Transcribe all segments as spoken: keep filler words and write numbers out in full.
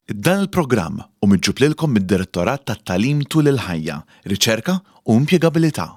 Dan il-programm hu miġjub lilkom mid-Direttorat tat-Tagħlim tul il-ħajja, Riċerka u Impjegabilità.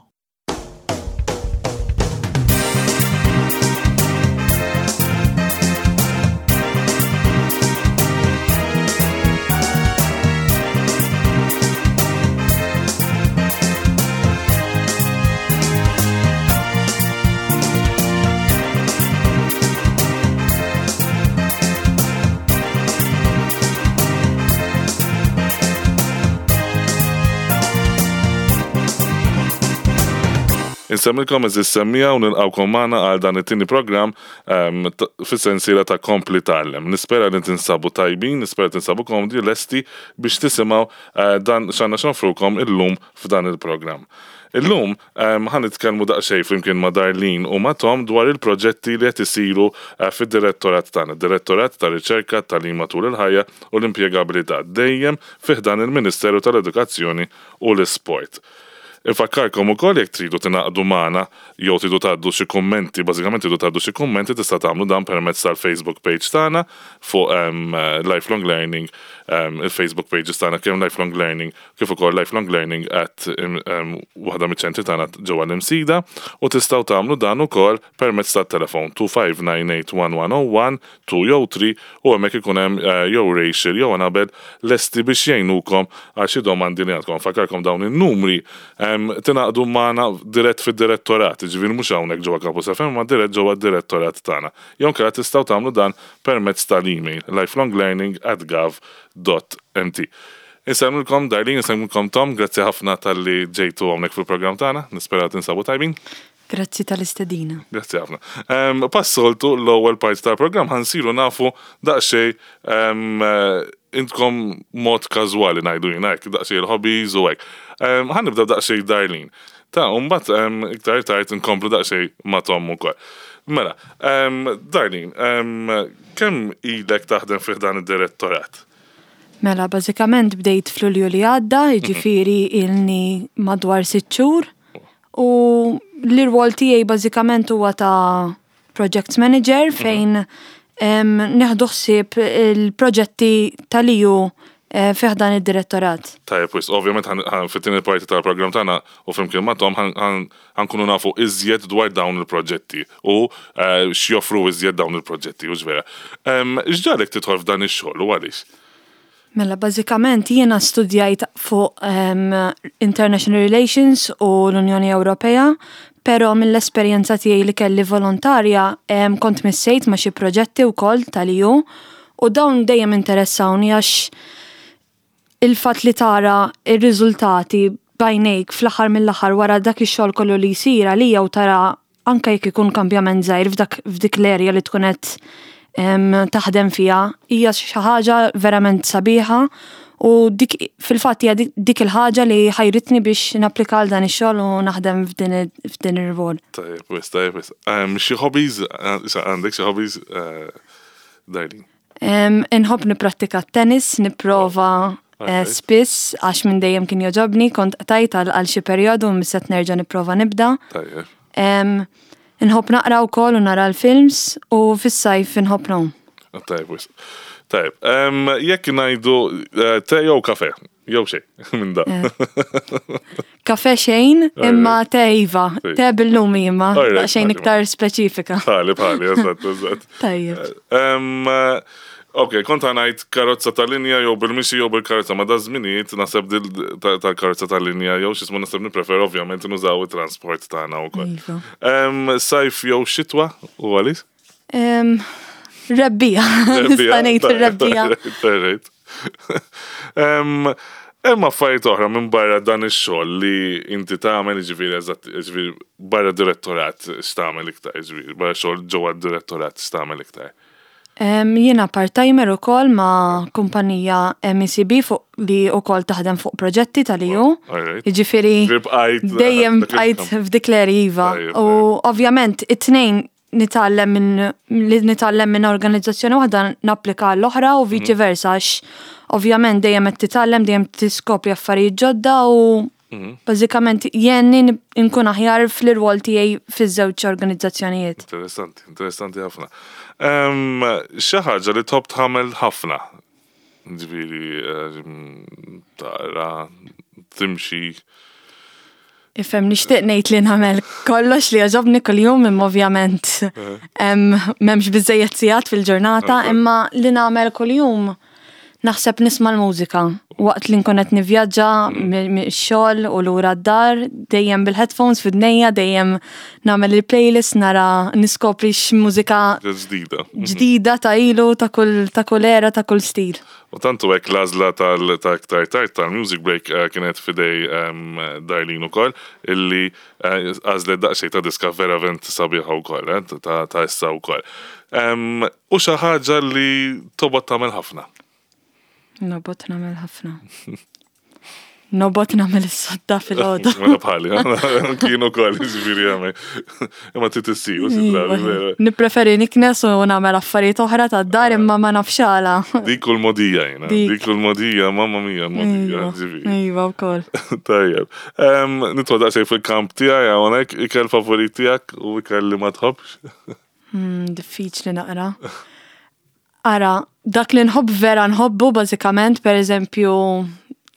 Insemmilkom eżis semmija u nilqawkom magħna għal dan it-tieni programm ehm, fis-sensiela ta' Kompli Tgħallem. Nispera li tinsabu tajbin, nispera tinsabu komdi lesti biex tisimgħu eh, dan x'għandna x'nofrukom illum f'dan il-programm. Illum ehm, ħa nitkellmu daqsxejn flimkien ma' Darlene u ma' Tom dwar il-proġetti li qed isiru eh, fid-direttorat tagħna, Direttorat ta' Riċerka Tagħlim matul il-ħajja u l-impjegabilità, dejjem fi ħdan il-Ministeru tal-Edukazzjoni u l-Isport. Infakkarkom ukoll jekk tridu tingħaqdu magħna jew tridu tgħaddu xi kummenti, bażikament tridu tgħaddu xi kummenti tista' tagħmlu dan permezz tal-Facebook page tagħna fuq um, Lifelong Learning, um, il-Facebook pages tagħna kemm Lifelong Learning kif ukoll Lifelong Learning at um, waħda miċ-ċentri tagħna ġewwa l-Imsida u tistgħu tagħmlu dan ukoll permezz tat-telefon two five nine eight one one oh one two jew three u hemmhekk ikun hemm uh, jew Rachel jew Annabel lesti biex jgħinukom għal xi domandi li għandkom. Fakkarkom dawn in-numri um, tingħaqdu magħna dirett fid-direttorat, jiġifieri mhux hawnhekk ġewwa Campus F M, ma dirett ġewwa d-direttorat tagħna. Jew inkella tistgħu tagħmlu dan permezz tal-email lifelonglearning at gov dot m t. Insemmilkom Darlene, insemmilkom Tom, grazzi ħafna tal-li ġejtu hawnhekk fil-programm tagħna, nispera tinsabu tajbin. Grazzi tal-istedina. Grazzi ħafna. Um, Passoltu l-ewwel parti tal-programm ħansiru nafu daqsxejn, um, intkom mod każwali ngħidu jiena hekk, daqsxejn il-hobbies u hekk. Um, ħa nibda daqsxejn Darlene. Ta' u mbagħad, um, iktar tard inkomplu daqsxejn ma' Tom ukoll. Mela, um, Darlene, um, kemm ilek taħdem fih dan id-direttorat? Mela, bażikament bdejt f'Lulju li għadda, jiġifieri ilni madwar sitt xhur. U l-irwol tiegħi bażikament huwa ta' project manager fejn, em, nieħdu ħsieb il-proġetti tal-E U, eh, fih dan id-direttorat. Tajjeb, wis, ovvjament ħan, ħan, fit-tieni parti tal-programm tagħna u flimkien ma' Tom ħan, ħan, ħankunu nafu iżjed dwar dawn il-proġetti u, eh, x'joffru iżjed dawn il-proġetti, u vera. Em, x'ġalek tidħol f'dan ix-xogħol u għaliex? Mela, bażikament jiena studjajt fuq, em, International Relations u l-Unjoni Ewropea, però mill-esperjenza tiegħi li kelli volontarja, em, kont missejt ma' xi proġetti wkoll tal-E U u dawn dejjem interessawni għax il-fatt li tara ir-riżultati bajnejk fl-aħħar mill-aħħar wara dak ix-xogħol kollu li jsir għalija u tara anke jekk ikun kambjament żgħir f'dak, f'dik l-erja li tkun qed, em, taħdem fiha, hija xi ħaġa verament sabiħa u dik fil-fatt hija dik, dik il-ħaġa li ħajritni biex napplika għal dan ix-xogħol u naħdem f'din il-, f'din ir-rwol. Tajjeb, wis, tajjeb, wis. Em, xi hobbies, eh, issa għandek xi hobbies, eh, Darlene? Em, inħobb nipprattika t-tennis, nipprova, eh, Alright. spiss għax minn dejjem kien jogħġobni, kont qtajt għal, għal xi perjodu u misset nerġa' nipprova nibda. Tajjeb. Em, inħobb naqra wkoll u nara l-films u fis-sajf inħobb ngħum. Ah, tajjeb, wis. Tajjeb, em, jekk ngħidu, eh, te jew kafe, jew xejn minn da. Eh. Kafe xejn, Alright. imma te iva, Sì. te bil-lumi imma, Alright, daqsxejn alright. iktar speċifika. Bħali, bħali, eżatt, eżatt. Tajjeb. Em, eh, ok, kont ngħid karozza tal-linja jew bil-mixi jew bil-karozza, ma da żminijiet naħseb dil ta-, tal-karozza tal-linja jew x'ismu naħseb nipprefer ovvjament nużaw it-transport tagħna wkoll. Iva. Em, sajf jew xitwa u għaliex? Em, rebbija. Nista' ngħid Tajjeb, ir-rebbija. tajjeb, tajjeb. Em, hemm affarijiet oħra minn barra dan ix-xogħol li inti tagħmel, jiġifieri eżatt, jiġifieri barra direttorat x'tagħmel iktar, jiġifieri barra xogħol ġewwa d-direttorat x'tagħmel iktar. Em, jiena part-timer ukoll ma' kumpanija M E C B fuq li ukoll taħdem fuq proġetti tal-E U. Alright. Jiġifieri Jiġifieri bqajt dejjem dak bqajt il-kamp. f'dik l-area, iva. Tajjeb, U tajjeb. ovvjament it-tnejn nitgħallem minn, li nitgħallem minn organizzazzjoni waħda napplika l-oħra u viċi Mhm. versa għax ovvjament dejjem qed titgħallem, dejjem tiskopri affarijiet ġodda u Mhm. bażikament jenni n-, nkun aħjar fl-irwol tiegħi fiż-żewġ organizzazzjonijiet. Interessanti, interessanti ħafna. Em, xi ħaġa li tħobb tagħmel ħafna? Ġifieri, eh, taqra, timxi. Ifhem, nixtieq ngħid li nagħmel kollox li jogħġobni kuljum, imma ovvjament m'hemmx biżejjed sigħat fil-ġurnata, imma li nagħmel kuljum naħseb nisma' l-mużika. Waqt li nkun qed nivvjaġġa mix-xogħol u lura d-dar, dejjem bil-headphones f'idnejja, dejjem nagħmel il-playlist, nara niskopri x'mużika ġdida. Ġdida ta' ilu, ta' kull ta' kull era, ta' kull stil. U tantu hekk l-għażla tal ta' aktar tard tal-music break eh, kienet f'idejn em, Darlene ukoll, illi eh, għażlet daqsxejn ta' diska verament sabiħa wkoll, eh, ta' ta' issa wkoll. Em, U xi ħaġa li tobgħod tagħmel ħafna. Nobgħod nagħmel ħafna. Nobgħod nagħmel is-sodda filgħodu. Mela bħali, kienu ukoll, ġifieri għamel. Imma trid issir, u xi drabi, vera. Nippreferi niknes u nagħmel affarijiet oħra tad-dar, imma ma nafx għala. Dik u l-mogħdija jiena, Dik. dik u l-mogħdija, mamma mia, l-mogħdija, Iva, ġifieri. Iva wkoll. Tajjeb. Em, Nidħol daqsxejn fil-kamp tiegħi hawnhekk, ikel favorit tiegħek u ikel li ma tħobbx. Hmm, Diffiċli naqra. Ara, dak li nħobb vera nħobbu bażikament, per eżempju,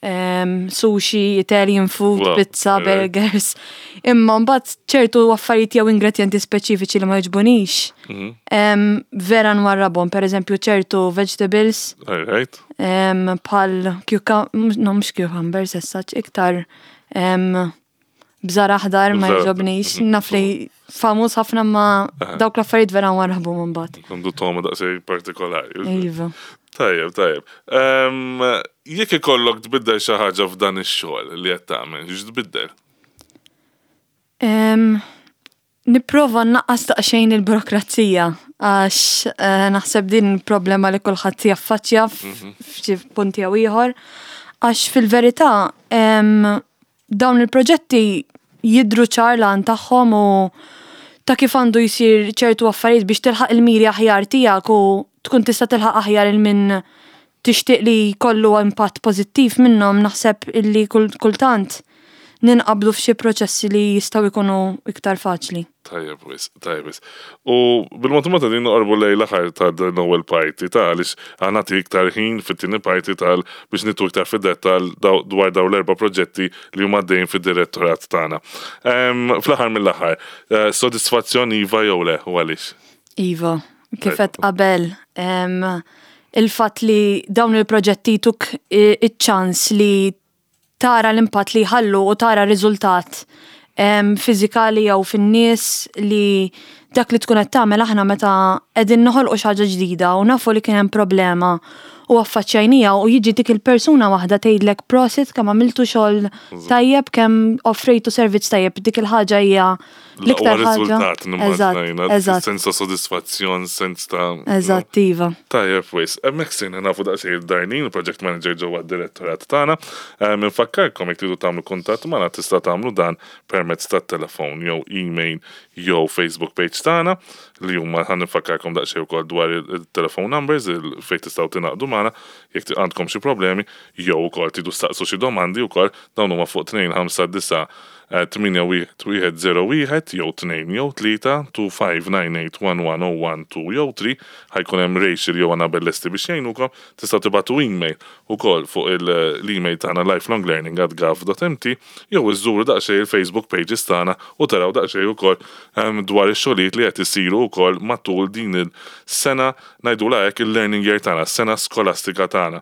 em, sushi, Italian food, Wow, pizza, alright. burgers. Imma mbagħad ċertu affarijiet jew ingredienti speċifiċi li ma jogħġbunix. Mhm. em, Vera nwarrabhom, per eżempju, ċertu vegetables, All right. em, bħal cucumber, no, mhux cucumbers, as such, iktar em, bżar aħdar ma Bżar aħdar, jogħġobnix. mhm. Naf li famuż ħafna, ma dawk l-affarijiet vera nwarrabhom mbagħad. Għandu togħma daqsxejn partikolari. Iva. Tajjeb, tajjeb. Em, Jekk ikollok tbiddel xi ħaġa f'dan ix-xogħol li qed tagħmel, x'tbiddel? Em, Nipprova nnaqqas daqsxejn il-burokrazija, għax eh, naħseb din problema li kulħadd jaffaċċja f- f'xi punti jew ieħor. Għax fil-verità em, dawn il-proġetti jidru ċar l-għan tagħhom u ta' kif għandu jsir ċertu affarijiet biex tilħaq il-miri aħjar tiegħek u tkun tista' tilħaq aħjar il min tixtieq li jkollu impatt pożittiv minnhom. Naħseb illi kull- kultant ninqablu f'xi proċessi li jistgħu jkunu iktar faċli. Tajjeb wisq, tajjeb wisq. U bil-mod mod din noqorbu lejn l-aħħar ta' din l-ewwel parti ta' għaliex ħa nagħti iktar ħin fit-tieni parti tal biex nidħlu iktar fid-dettall daw- dwar daw l-erba' proġetti li huma għaddejjin fid-direttorat tagħna. Em, Fl-aħħar mill-aħħar, eh, sodisfazzjon iva jew le, u għaliex? Iva, kif qed qabel, em, il-fatt li dawn il-proġetti tuk i- iċ-ċans li tara l-impatt li jħallu u tara riżultat em, fiżikali jew fin-nies, li dak li tkun qed tagħmel aħna meta qegħdin noħolqu xi ħaġa ġdida u nafu li kien hemm problema u affaċċjajnija u jiġi dik il-persuna waħda tgħidlek prosit kemm għamiltu xogħol tajjeb, kemm offrejtu servizz tajjeb, dik il-ħaġa hija L-aqwa l-iktar ħaġa. riżultat Eżatt, nimmaġina, eżatt, sens ta' sodisfazzjon, sens ta' eżatt, iva. Tajjeb, wisq, hemmhekk sirna nafu daqsxejn Darlene, il-project manager ġewwa d-direttorat tagħna. Infakkarkom, jekk tridu tagħmlu kuntatt magħna, tista' tagħmlu dan permezz tat-telefon jew email jew Facebook page tagħna, li huma ħa nfakkarkom daqsxejn ukoll dwar il-telephone numbers il fejn tistgħu tingħaqdu magħna jekk għandkom xi problemi jew ukoll tridu staqsu xi domandi wkoll. Dawn huma fuq tnejn ħamsa disa' tmienja wieħed wieħed żero wieħed jew tnejn jew tlieta, tnejn ħamsa disa' tmienja wieħed wieħed żero wieħed jew tlieta. Ħa jkun hemm Rachel jew Annabel lesti biex jgħinukom. Tistgħu tibagħtu email ukoll fuq l-email tagħna lifelonglearning at gov dot M T jew iżżuru daqsxejn il-Facebook pages tagħna u taraw daqsxejn ukoll em, dwar ix-xogħlijiet li qed isiru wkoll matul din il-sena, ngħidula hekk, il-learning year tagħna, sena skolastika tagħna.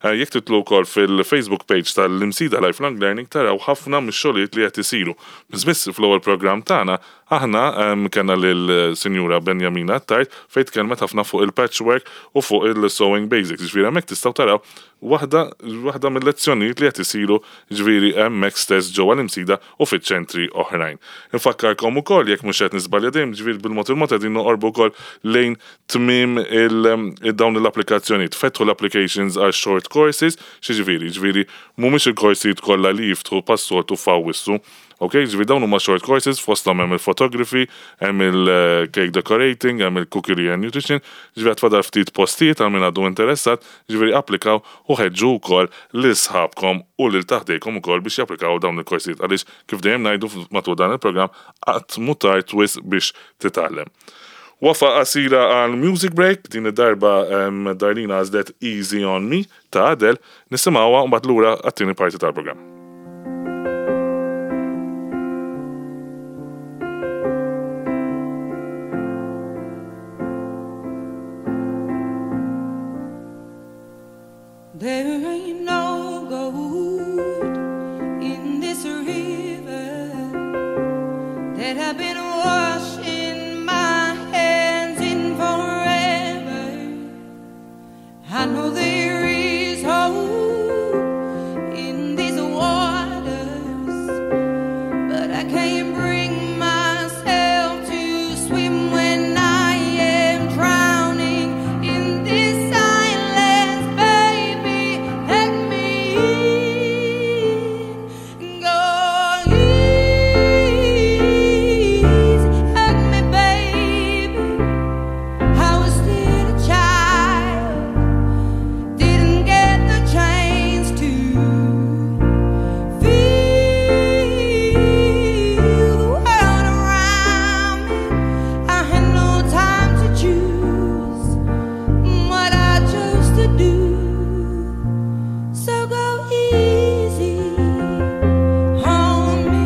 Eh, Jekk tidħlu wkoll fil-Facebook page tal-Imsida Lifelong Learning taraw ħafna mix-xogħlijiet li qed isiru. Biss biss fl-ewwel programm tagħna aħna em, kellna lil-Sinjura Benjamina Attard fejn tkellmet ħafna fuq il-patchwork u fuq il-sewing basics. Ġifieri hemmhekk tistgħu taraw waħda waħda mill-lezzjonijiet li qed isiru, ġifieri hemmhekk stess ġewwa l-Imsida u fiċ-ċentri oħrajn. Infakkarkom ukoll, jekk mhux qed niżbalja dejjem, ġifieri bil-mod il-mod qegħdin noqorbu wkoll lejn tmiem il- dawn l-applikazzjonijiet. Fetħu l-applications għal short courses, xi ġifieri, ġifieri mhumiex il-korsijiet kollha li jiftħu bħas-soltu f'Awwissu. Ok, ġifieri dawn huma short courses, fosthom hemm il-photography, hemm il-cake decorating, hemm il-cookery and nutrition, ġifieri għad fadal ftit postijiet għal min għadu interessat, ġifieri applikaw u ħeġġu wkoll lil sħabkom u lil ta' ħdejkom ukoll biex japplikaw dawn il-korsijiet, għaliex kif dejjem ngħidu matul dan il-programm, qatt mhu tard wisq biex titgħallem. Waqfa qasira għal music break, din id-darba um, Darlene għażlet Easy on Me ta' Adele, nisimgħuha u mbagħad lura għat-tieni parti tal-programm. There ain't no gold in this river that I've been washing my hands in forever. I know there is hope in these waters, but I can't bring myself to swim when I am drowning in this silence, baby. Let me in. Go easy on me, baby. I was still a child, didn't get the chance to feel the world around me. I had no time to choose what I chose to do. So go easy on me.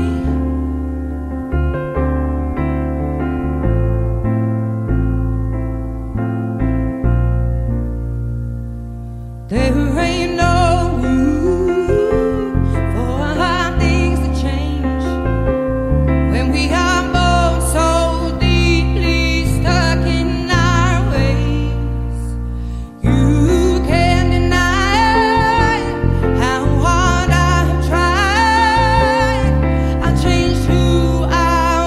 There ain't no room for our things to change when we are both so deeply stuck in our ways. You can't deny how hard I have tried. I changed who I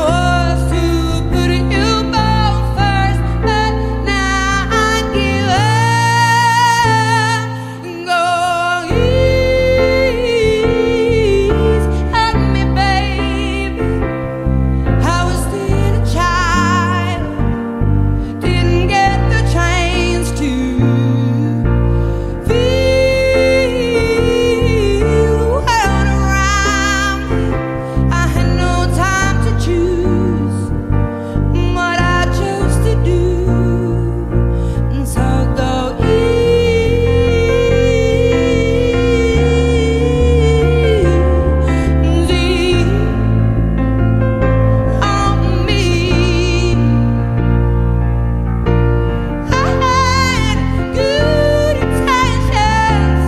was to put you both first, but now I give up. Go easy on me, baby. I was still a child, didn't get the chance to feel the world around me. I had no time to choose what I chose to do. And so go easy on me. I had good intentions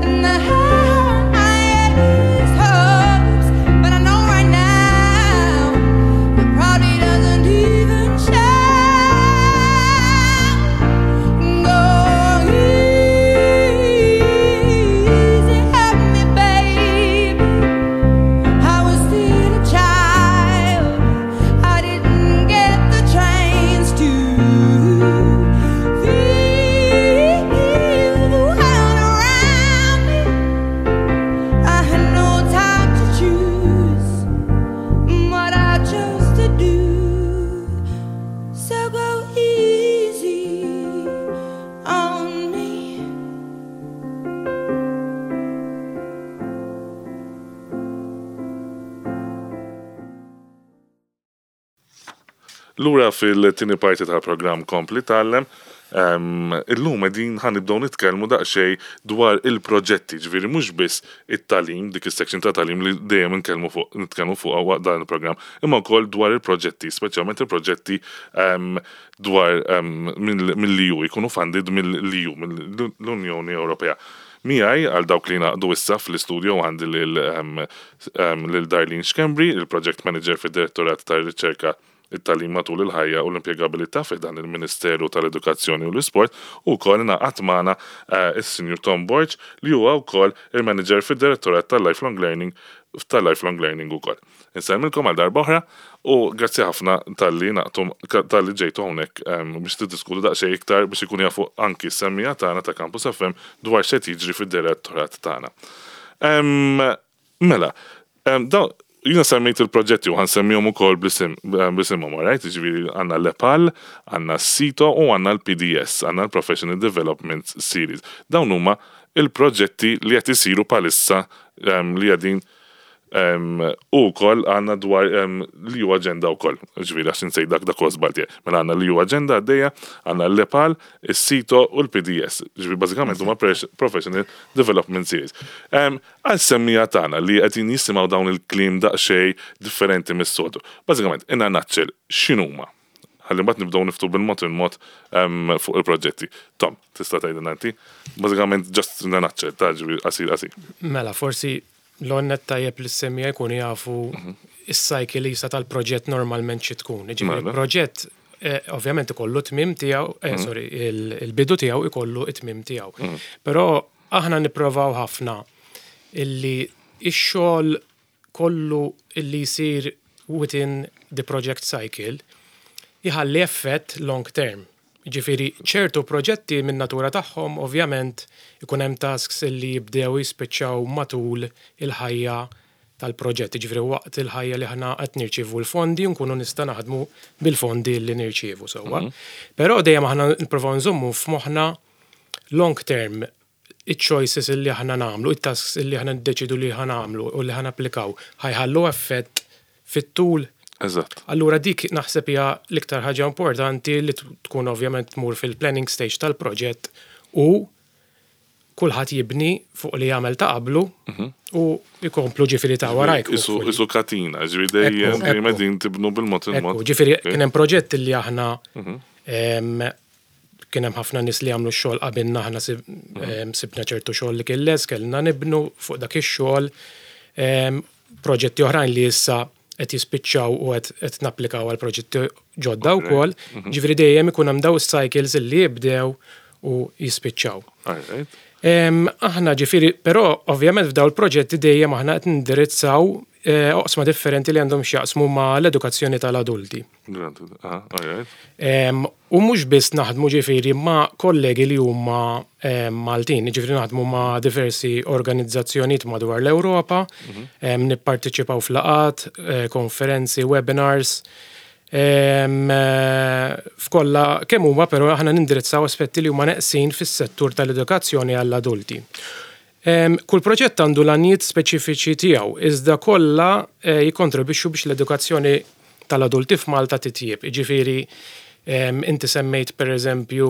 and the highest hopes, but I know right now it probably doesn't even show. Go easy on me, baby. I was still a child. I didn't get the chance to feel the world around me. I had no time to choose what I chose to do. So go easy on me. Lura fil-tieni parti tal-programm Kompli Tgħallem, um, illum qegħdin ħa nibdew nitkellmu daqsxejn dwar il-proġetti, ġifieri mhux biss it-tagħlim, dik is-section ta' tagħlim li dejjem nitkellmu fuq nitkellmu fuq waqt dan il-programm, imma wkoll dwar il-proġetti, speċjalment il-proġetti um, dwar um, mill-E U, jkunu funded mill-E U, mill-Unjoni Ewropea. Miegħi għal dawk li ngħaqdu issa fl-istudio għandi lil um, um, lil Darlene Schembri, il-Project Manager fid-Direttorat tar-Riċerka, it-tagħlim matul il-ħajja u l-impjegabilità fi dan il-Ministeru tal-Edukazzjoni u l-Isport, u wkoll ingħaqad magħna eh, is-Sinjur Tom Borg, li huwa wkoll il-Manager fid-Direttorat tal-Lifelong Learning tal-Lifelong Learning ukoll. Insellmilkom għal darba oħra u grazzi ħafna talli ngħaqadtu, talli ġejtu hawnhekk em, biex tiddiskutu daqsxejn iktar biex ikun jafu anki s-semmiegħa tagħna ta' Campus F M dwar x'qed jiġri fid-direttorat tagħna. Em, Mela, em, daw, jiena semmejt il-proġetti u ħa nsemmihom ukoll bl-isim, bl-isimhom, right? Ġifieri għandna l-EPAL, għandna s-SITO u għandna l-P D S, għandna l-Professional Development Series. Dawn huma il-proġetti li qed isiru bħalissa em, li qegħdin U wkoll għandna dwar l-E U Agenda wkoll, ġifieri għax insejt dak dak żbalti. Mela għandna l-E U Agenda għaddejja, għandna l-EPAL, is-SITO u l-P D S. Ġifieri bażikament huma Professional Development Series. Għas-semmiegħa tagħna li qegħdin jisimgħu dawn il-kliem daqsxejn differenti mis-soltu. Bażikament, in a nutshell, x'inhuma? Ħalli mbagħad nibdew niftu bil-mod il-mod fuq il-proġetti. Tom, tista' tgħidilna inti? Bażikament just in a nutshell, ta' ġifieri qasir qasir. Mela, forsi l-onnet tajjeb li s-semmiegħa jkunu jafu is-cycle jisa tal-proġett normalment xi tkun. Ġifieri Mela. proġett eh, ovvjament ikollu tmiem tiegħu, eh, sorry, il- il-bidu tiegħu ikollu it-tmiem tiegħu. Però aħna nipprovaw ħafna illi ix-xogħol kollu illi jsir within the project cycle jħalli effett long term. Ġifieri, ċertu proġetti minn natura tagħhom ovvjament ikun hemm tasks illi jibdew jispiċċaw matul il-ħajja tal-proġett. Ġifieri waqt il-ħajja li ħna qed nirċievu l-fondi u nkunu nista' naħdmu bil-fondi li nirċievu sewwa. Però dejjem aħna nipprovaw nżommu f'moħħna long term il-choices illi aħna nagħmlu, it-tasks illi aħna niddeċidu li ħa nagħmlu u li ħa napplikaw ħa jħallu effett fit-tul. Eżatt. Allura dik naħseb hija l-iktar ħaġa importanti li tkun ovvjament tmur fil-planning stage tal-proġett u kulħadd jibni fuq li jagħmel ta' qablu u jkomplu ġifieri ta' warajk. Isu isu katina, ġifieri dejjem Ekku, dejjem ekku. qegħdin tibnu bil-mod il-mod. Ekku, ġifieri kien hemm proġett li aħna em, kien hemm ħafna nies li għamlu x-xogħol qabilna, aħna sib- em, sibna ċertu xogħol li kien les, kellna nibnu fuq dak ix-xogħol. Em, Proġetti oħrajn li issa qed jispiċċaw u qed qed napplikaw għal proġetti ġodda wkoll. Ġifieri dejjem ikun hemm daw is-cycles li jibdew u jispiċċaw. All right. Em, aħna ġifieri, però ovvjament f'daw il-proġetti dejjem aħna qed nindirizzaw eh, oqsma differenti li għandhom x'jaqsmu ma' l-edukazzjoni tal-adulti. Granted. Aha, all right. Em, U mhux biss naħdmu ġifieri ma' kollegi li huma em, Maltin, ġifieri naħdmu ma' diversi organizzazzjonijiet madwar l-Ewropa, em, nipparteċipaw f'laqgħat, eh, konferenzi, webinars, em, eh, f'kollha kemm huma, però aħna nindirizzaw aspetti li huma neqsin fis-settur tal-edukazzjoni għall-adulti. Em, Kull proġett għandu l-għanijiet speċifiċi tiegħu, iżda kollha eh, jikkontribwixxu biex l-edukazzjoni tal-adulti f'Malta titjieb. Ġifieri, em, inti semmejt per eżempju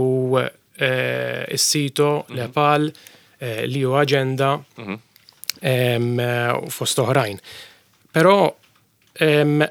eh, is-SITO, l-EPAL, eh, l-E U Agenda, em, eh, u fost oħrajn. Però, em,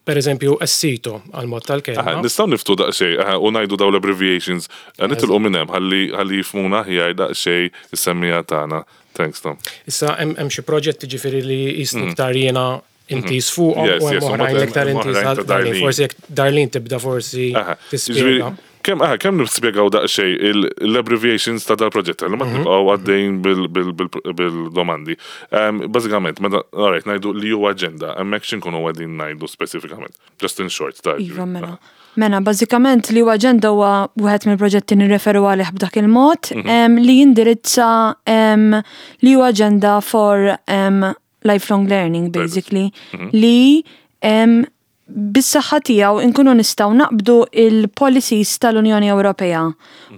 per eżempju, s-SITO għal-mod Aha, tal-kelma. nistgħu niftu daqsxejn aha, u ngħidu daw l-abbreviations. Eh, Nitilqu minn hemm ħalli ħalli jifhmuna aħjar daqsxejn is-semmiegħa tagħna. Thanks, Tom. Issa hemm hemm xi proġetti ġifieri li jisni iktar jiena intiż fuqhom Yes, u hemm yes, u oħrajn mbagħad iktar hemm intiż oħrajn għal ta' Darlene. Darlene. Forsi jekk Darlene tibda forsi Aha, tispjega. ġifieri, Kemm aha, kemm nispjegaw daqsxejn il- l-abbreviations ta' dal-proġett, li ma nibqgħu għaddejn bil- bil- bil- bil-domandi. Um, Bażikament, meta alright, ngħidu li huwa agenda, hemmhekk x'inkunu qegħdin ngħidu speċifikament? Just in short, ta' Iva, mela. Mela, bażikament li huwa agenda huwa wieħed mill-proġetti nirreferu għalih b'dak il-mod em, li jindirizza em, li huwa agenda for em, lifelong learning, basically, li em, bis-saħħa tiegħu nkunu nistgħu naqbdu il-policies tal-Unjoni Ewropea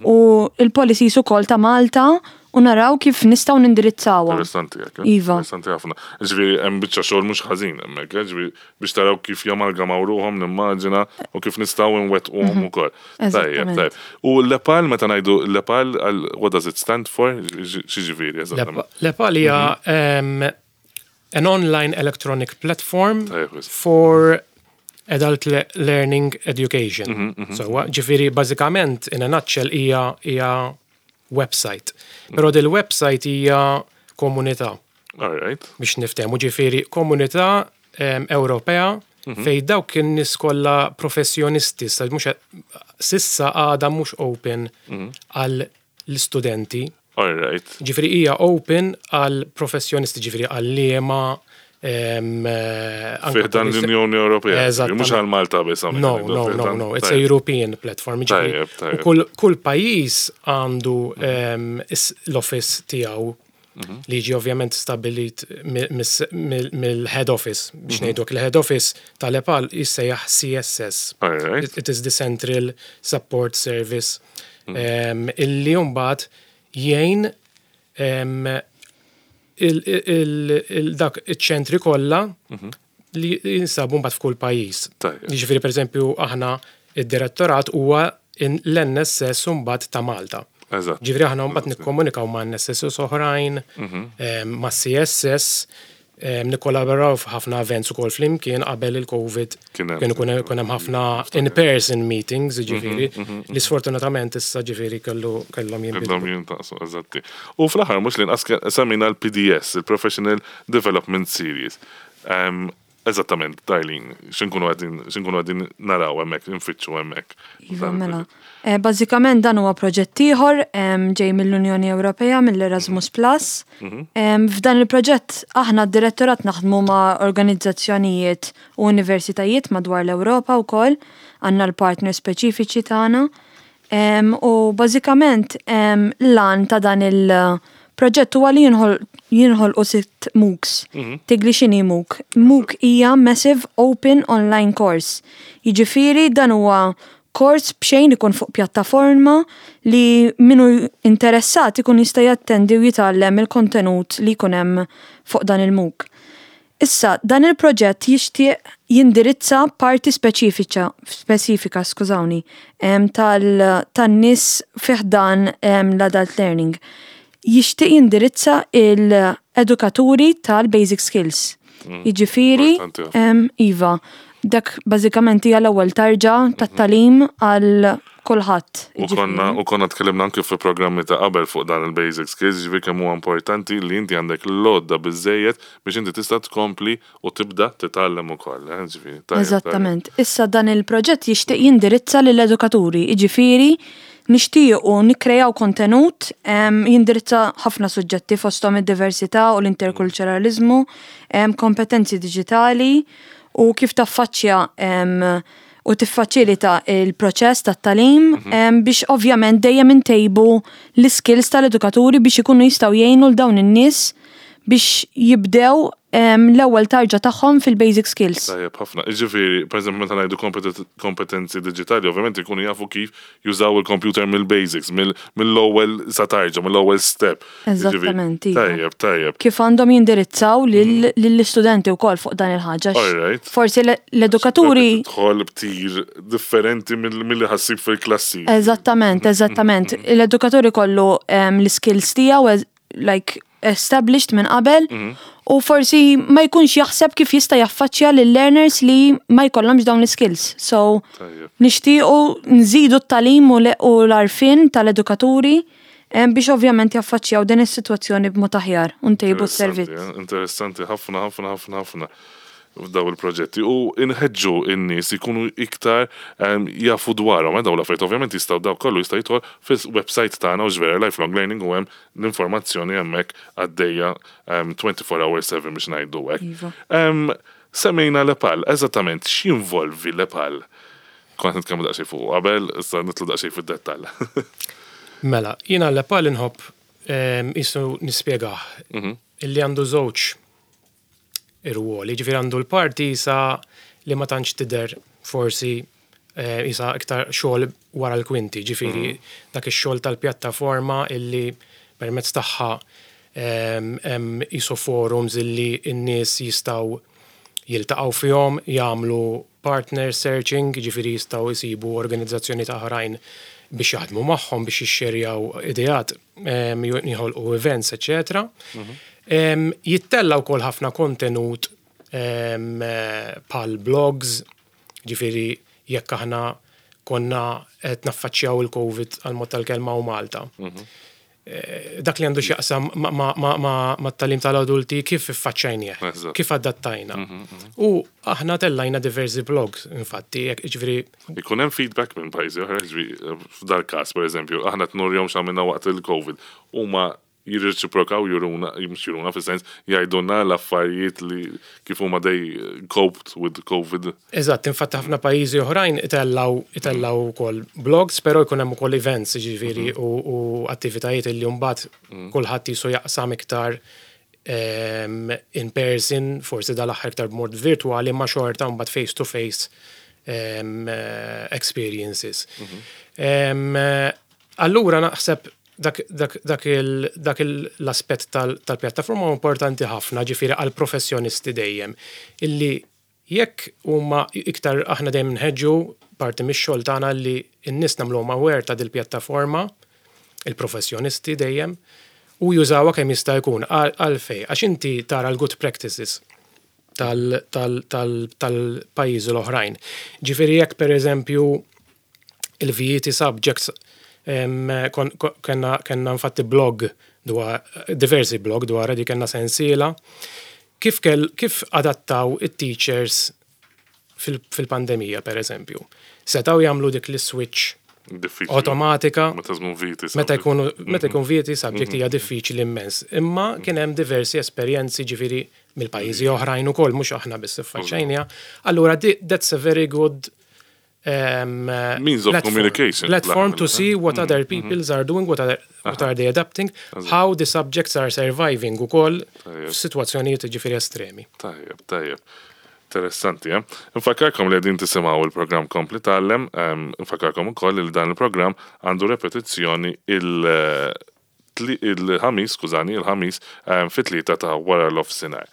u il-policies ukoll ta' Malta u naraw kif nistgħu nindirizzawha. Interessanti hekk, eh? Iva. Interessanti ħafna. Ġifieri hemm biċċa xogħol mhux ħażin hemmhekk, eh? Ġifieri biex taraw kif jamalgamaw ruħhom nimmaġina u kif nistgħu nwettquhom ukoll. Tajjeb, Eżattament. tajjeb. U l-EPAL, meta ngħidu l-EPAL, għal- what does it stand for? Xi ġifieri eżattament? L-EPAL hija em, an online electronic platform Tajjeb, wisq. for adult le learning education. So, ġifieri, bażikament, in a nutshell, hija hija website. Però dil-website hija komunità All right. biex niftehmu, ġifieri komunità em, Ewropea fej dawk in-nies kollha professjonisti, sa mhux s'issa għadha mhux open għal l-istudenti. All right. Ġifieri hija open għal professjonisti, ġifieri għalliema em, eh, anke Fi ħdan police- l-Unjoni Ewropea. Eżattament. Mhux għal Malta biss hawnhekk No, ngħidu, no, fi no, ħdan- no, it's a Tajjeb. European platform. Ġifieri, Tajjeb, u tajjeb. kull, kull pajjiż għandu em, is- l-office tiegħu li ġi ovvjament stabilit mi- mis- mill- mill-head office. Biex ngħidu l-head office tal-EPAL jissejjaħ C S S. All right. It, it is the Central Support Service um, illi mbagħad jgħin um, il- il- il- dak iċ-ċentri kollha li jinsabu mbagħad f'kull pajjiż. Tajjeb. Jiġifieri, pereżempju, aħna id-direttorat huwa in- l-N S S mbagħad ta' Malta. Eżatt. Ġifieri aħna mbagħad nikkomunikaw ma' N S S oħrajn, em, ma' C S S, em, nikkollaboraw f'ħafna events ukoll flimkien. Qabel il-Covid Kien hemm. kien ikun ikun hemm ħafna in-person meetings, ġifieri, li sfortunatament issa ġifieri kellu kellhom jinbidlu. Kellhom jintaqsu, eżatti. U fl-aħħar mhux li nqas semmejna l-P D S, il-Professional Development Series. Um, Eżattament, Darlene, x'inkunu qegħdin x'inkunu qegħdin naraw hemmhekk, nfittxu hemmhekk? Iva, mela. Eh, Bażikament dan huwa proġett ieħor em, ġej mill-Unjoni Ewropea, mill-Erasmus Plus. Em, F'dan il-proġett aħna d-direttorat naħdmu ma' organizzazzjonijiet u universitajiet madwar l-Ewropa wkoll, għandna l-partner speċifiċi tagħna. Em, U bażikament em, l-għan ta' dan il-proġett huwa li jinħol jinħolqu sitt MOOCs. Tgħidli x'inhi MOOC? MOOC hija Massive Open Online Course. Jiġifieri dan huwa kors b'xejn ikun fuq pjattaforma li minu interessat ikun jista' jattendi u jitgħallem il-kontenut li jkun hemm fuq dan il-MOOC. Issa, dan il-proġett jixtieq jindirizza parti speċifika, spesifika, skużawni, em, tal- tan-nies fi ħdan em, l-adult learning. Jixtieq jindirizza il-edukaturi tal-basic skills. Jiġifieri, Importanti ħafna. em, iva, dak bażikament hija l-ewwel tarġa tat-tagħlim għal kulħadd. U konna, u konna tkellimna anke fi programmi ta' qabel fuq dan il-basic skills, ġifieri kemm huwa importanti li inti għandek l-għodda biżejjed biex inti tista' tkompli u tibda titgħallem ukoll, eh, ġifieri, tajjeb, Eżattament. Issa dan il-proġett jixtieq jindirizza lill-edukaturi, jiġifieri nixtiequ nikkrejaw kontenut em, jindirizza ħafna suġġetti, fosthom id-diversità u l-interkulturalizmu, em, kompetenzi diġitali u kif taffaċċja em, u tiffaċilita il-proċess tat-tagħlim em, biex ovvjament dejjem intejbu l-skills tal-edukaturi biex ikunu jistgħu jgħinu l dawn in-nies biex jibdew em, l-ewwel tarġa tagħhom fil-basic skills. Tajjeb ħafna. Ġifieri, per eżempju, meta ngħidu kompet- kompetenzi diġitali, ovvjament ikunu jafu kif jużaw il-computer mill-basics, mill- mill-ewwel sa tarġa, mill-ewwel step. Ġifieri, Eżattament, iva. Tajjeb, tajjeb. Kif għandhom jindirizzaw lill- lill-istudenti wkoll fuq dan il-ħaġa. All right. Forsi l- l-edukaturi Tidħol b'tir differenti mill- milli ħa ssib fil-klassi. Eżattament, eżattament. L-edukaturi kollu em, l-skills tiegħu ez- like established minn qabel u forsi ma jkunx jaħseb kif jista' jaffaċċja lill-learners li ma jkollhomx dawn l-skills. So Tajjeb. nixtiequ nżidu t-tagħlim u l- u l-għarfien tal-edukaturi em, biex ovvjament jaffaċċjaw din is-sitwazzjoni b'mod aħjar u ntejbu s-servizz. Interessanti, eh? Interessanti ħafna, ħafna, ħafna, ħafna f'daw il-proġetti u inħeġġu in-nies ikunu iktar em, jafu dwarhom, eh, daw l-affarijiet. Ovvjament jistgħu, daw kollu jista' jidħol fis-website tagħna u ġvera Lifelong Learning u hemm l-informazzjoni hemmhekk għaddejja em, twenty-four hours seven biex ngħidu hekk. Iva. Em, Semmejna l-EPAL, eżattament x'jinvolvi l-EPAL? Kont nitkellmu daqsxejn fuq qabel, issa nidħlu daqsxejn fid-dettall. Mela, jiena l-EPAL inħobb em, jisu nispjegah illi għandu żewġ irwoli, ġifieri għandu l-parti sa li ma tantx tidher, forsi eh, isa iktar xogħol wara l-kwinti, ġifieri dak ix-xogħol tal-pjattaforma illi permezz tagħha em, hemm isu forums illi n-nies jistgħu jiltaqgħu fihom, jagħmlu partner searching, ġifieri jistgħu jsibu organizzazzjoni ta' oħrajn biex jaħdmu magħhom, biex jixxerjaw ideat, em, jħolqu events, eċetera. Em, Jittella wkoll ħafna kontenut em, eh, bħal blogs, ġifieri jekk aħna konna qed naffaċċjaw il-Covid għal mod tal-kelma u Malta. Eh, Dak li għandu x'jaqsam ma- ma- ma- ma- mat-tagħlim tal-adulti, kif iffaċċajnieh, Eżatt. kif adattajna. U aħna tellajna diversi blogs, infatti, jekk ġifieri Ikun hemm feedback minn pajjiżi oħra, ġifieri f'dal każ, pereżempju, aħna nurihom x'għamilna waqt il-Covid. Huma jirreċiprokaw, juruna, mhux juruna fis-sens jgħidulna l-affarijiet li kif huma they coped with Covid. Eżatt, infatti ħafna pajjiżi oħrajn itellaw itellaw ukoll blogs, però jkun hemm ukoll events, ġifieri, u, u attivitajiet illi mbagħad kulħadd jisu jaqsam iktar em, in person, forsi dal-aħħar iktar b'mod virtuali, ma xorta mbagħad face to face em, eh, experiences. Em, eh, Allura naħseb dak, dak, dak, il, dak il- l-aspett tal- tal-pjattaforma huwa importanti ħafna, ġifieri għal professjonisti dejjem, illi jekk huma iktar aħna dejjem nħeġġu parti mix-xogħol tagħna li n-nies nagħmluhom aware ta' dil-pjattaforma, il-professjonisti dejjem, u jużawha kemm jista' jkun. Għal- għalfej, għax inti tara l-good practices tal-pajjiżi l-oħrajn. Ġifieri jekk, per eżempju, il-V E T subjects, em, kon- kon- kenna kenna infatti blog dwar, diversi blog dwar di, kenna sensiela kif kell kif adattaw it-teachers fil- fil-pandemija, per eżempju. Setaw jagħmlu dik l-switch Diffiċli. automatika Meta żmien V E T. meta jkunu meta jkun V E T subject hija diffiċli immens. Imma kien hemm diversi esperjenzi, ġifieri, mill-pajjiżi oħrajn ukoll, mhux aħna biss iffaċċajniha. Allura di- that's a very good um, Means of platform- communication. Platform to see what other peoples are doing, what are, what are they adapting, how the subjects are surviving ukoll Tajjeb. f'sitwazzjonijiet, ġifieri, estremi. Tajjeb, tajjeb. Interessanti, eh? Nfakkarkom li qegħdin tisimgħu il-programm Kompli Tgħallem, em, nfakkarkom ukoll li dan il-programm għandu repetizzjoni il- tli- il-ħamis, skużani, il-ħamis em, fit-tlieta ta' wara l-nofsinhar.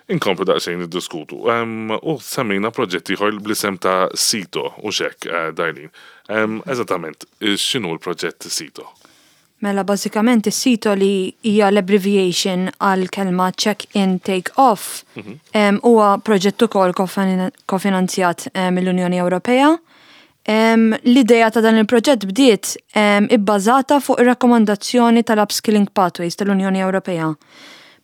Inkomplu daqsxejn niddiskutu. Em, U semmejna proġett ieħor bl-isem ta' SITO u xek, eh, Darlene. Em, Eżattament, x'inhu l-proġett SITO? Mela, bażikament is-SITO, li hija l-abbreviation għal kelma check in take off, em, huwa proġett ukoll kofin- kofinanzjat em, mill-Unjoni Ewropea. Em, L-idea ta' dan il-proġett bdiet em, ibbażata fuq ir-rakkomandazzjoni tal-Upskilling Pathways tal-Unjoni Ewropea.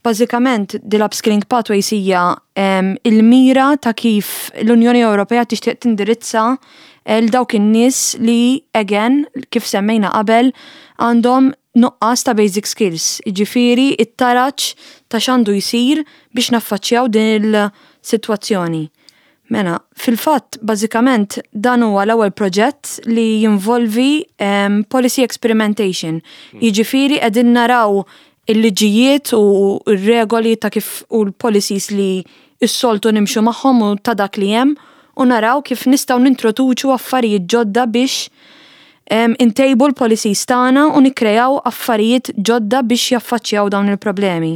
Bażikament, din l-Upskilling Pathways hija em, il-mira ta' kif l-Unjoni Ewropea tixtieq tindirizza l dawk in-nies li, again, kif semmejna qabel, għandhom nuqqas ta' basic skills. Jiġifieri it-taraġ ta' x'għandu jsir biex naffaċċjaw din il-sitwazzjoni. Mela, fil-fatt, bażikament, dan huwa l-ewwel proġett li jinvolvi um, policy experimentation. Jiġifieri qegħdin naraw il-liġijiet u r-regoli ta' kif u l-policies li s-soltu nimxu magħhom u ta' dak li hemm u naraw kif nistgħu nintroduċu affarijiet ġodda biex um, intejbu l-policies tagħna u nikkrejaw affarijiet ġodda biex jaffaċċjaw dawn il-problemi.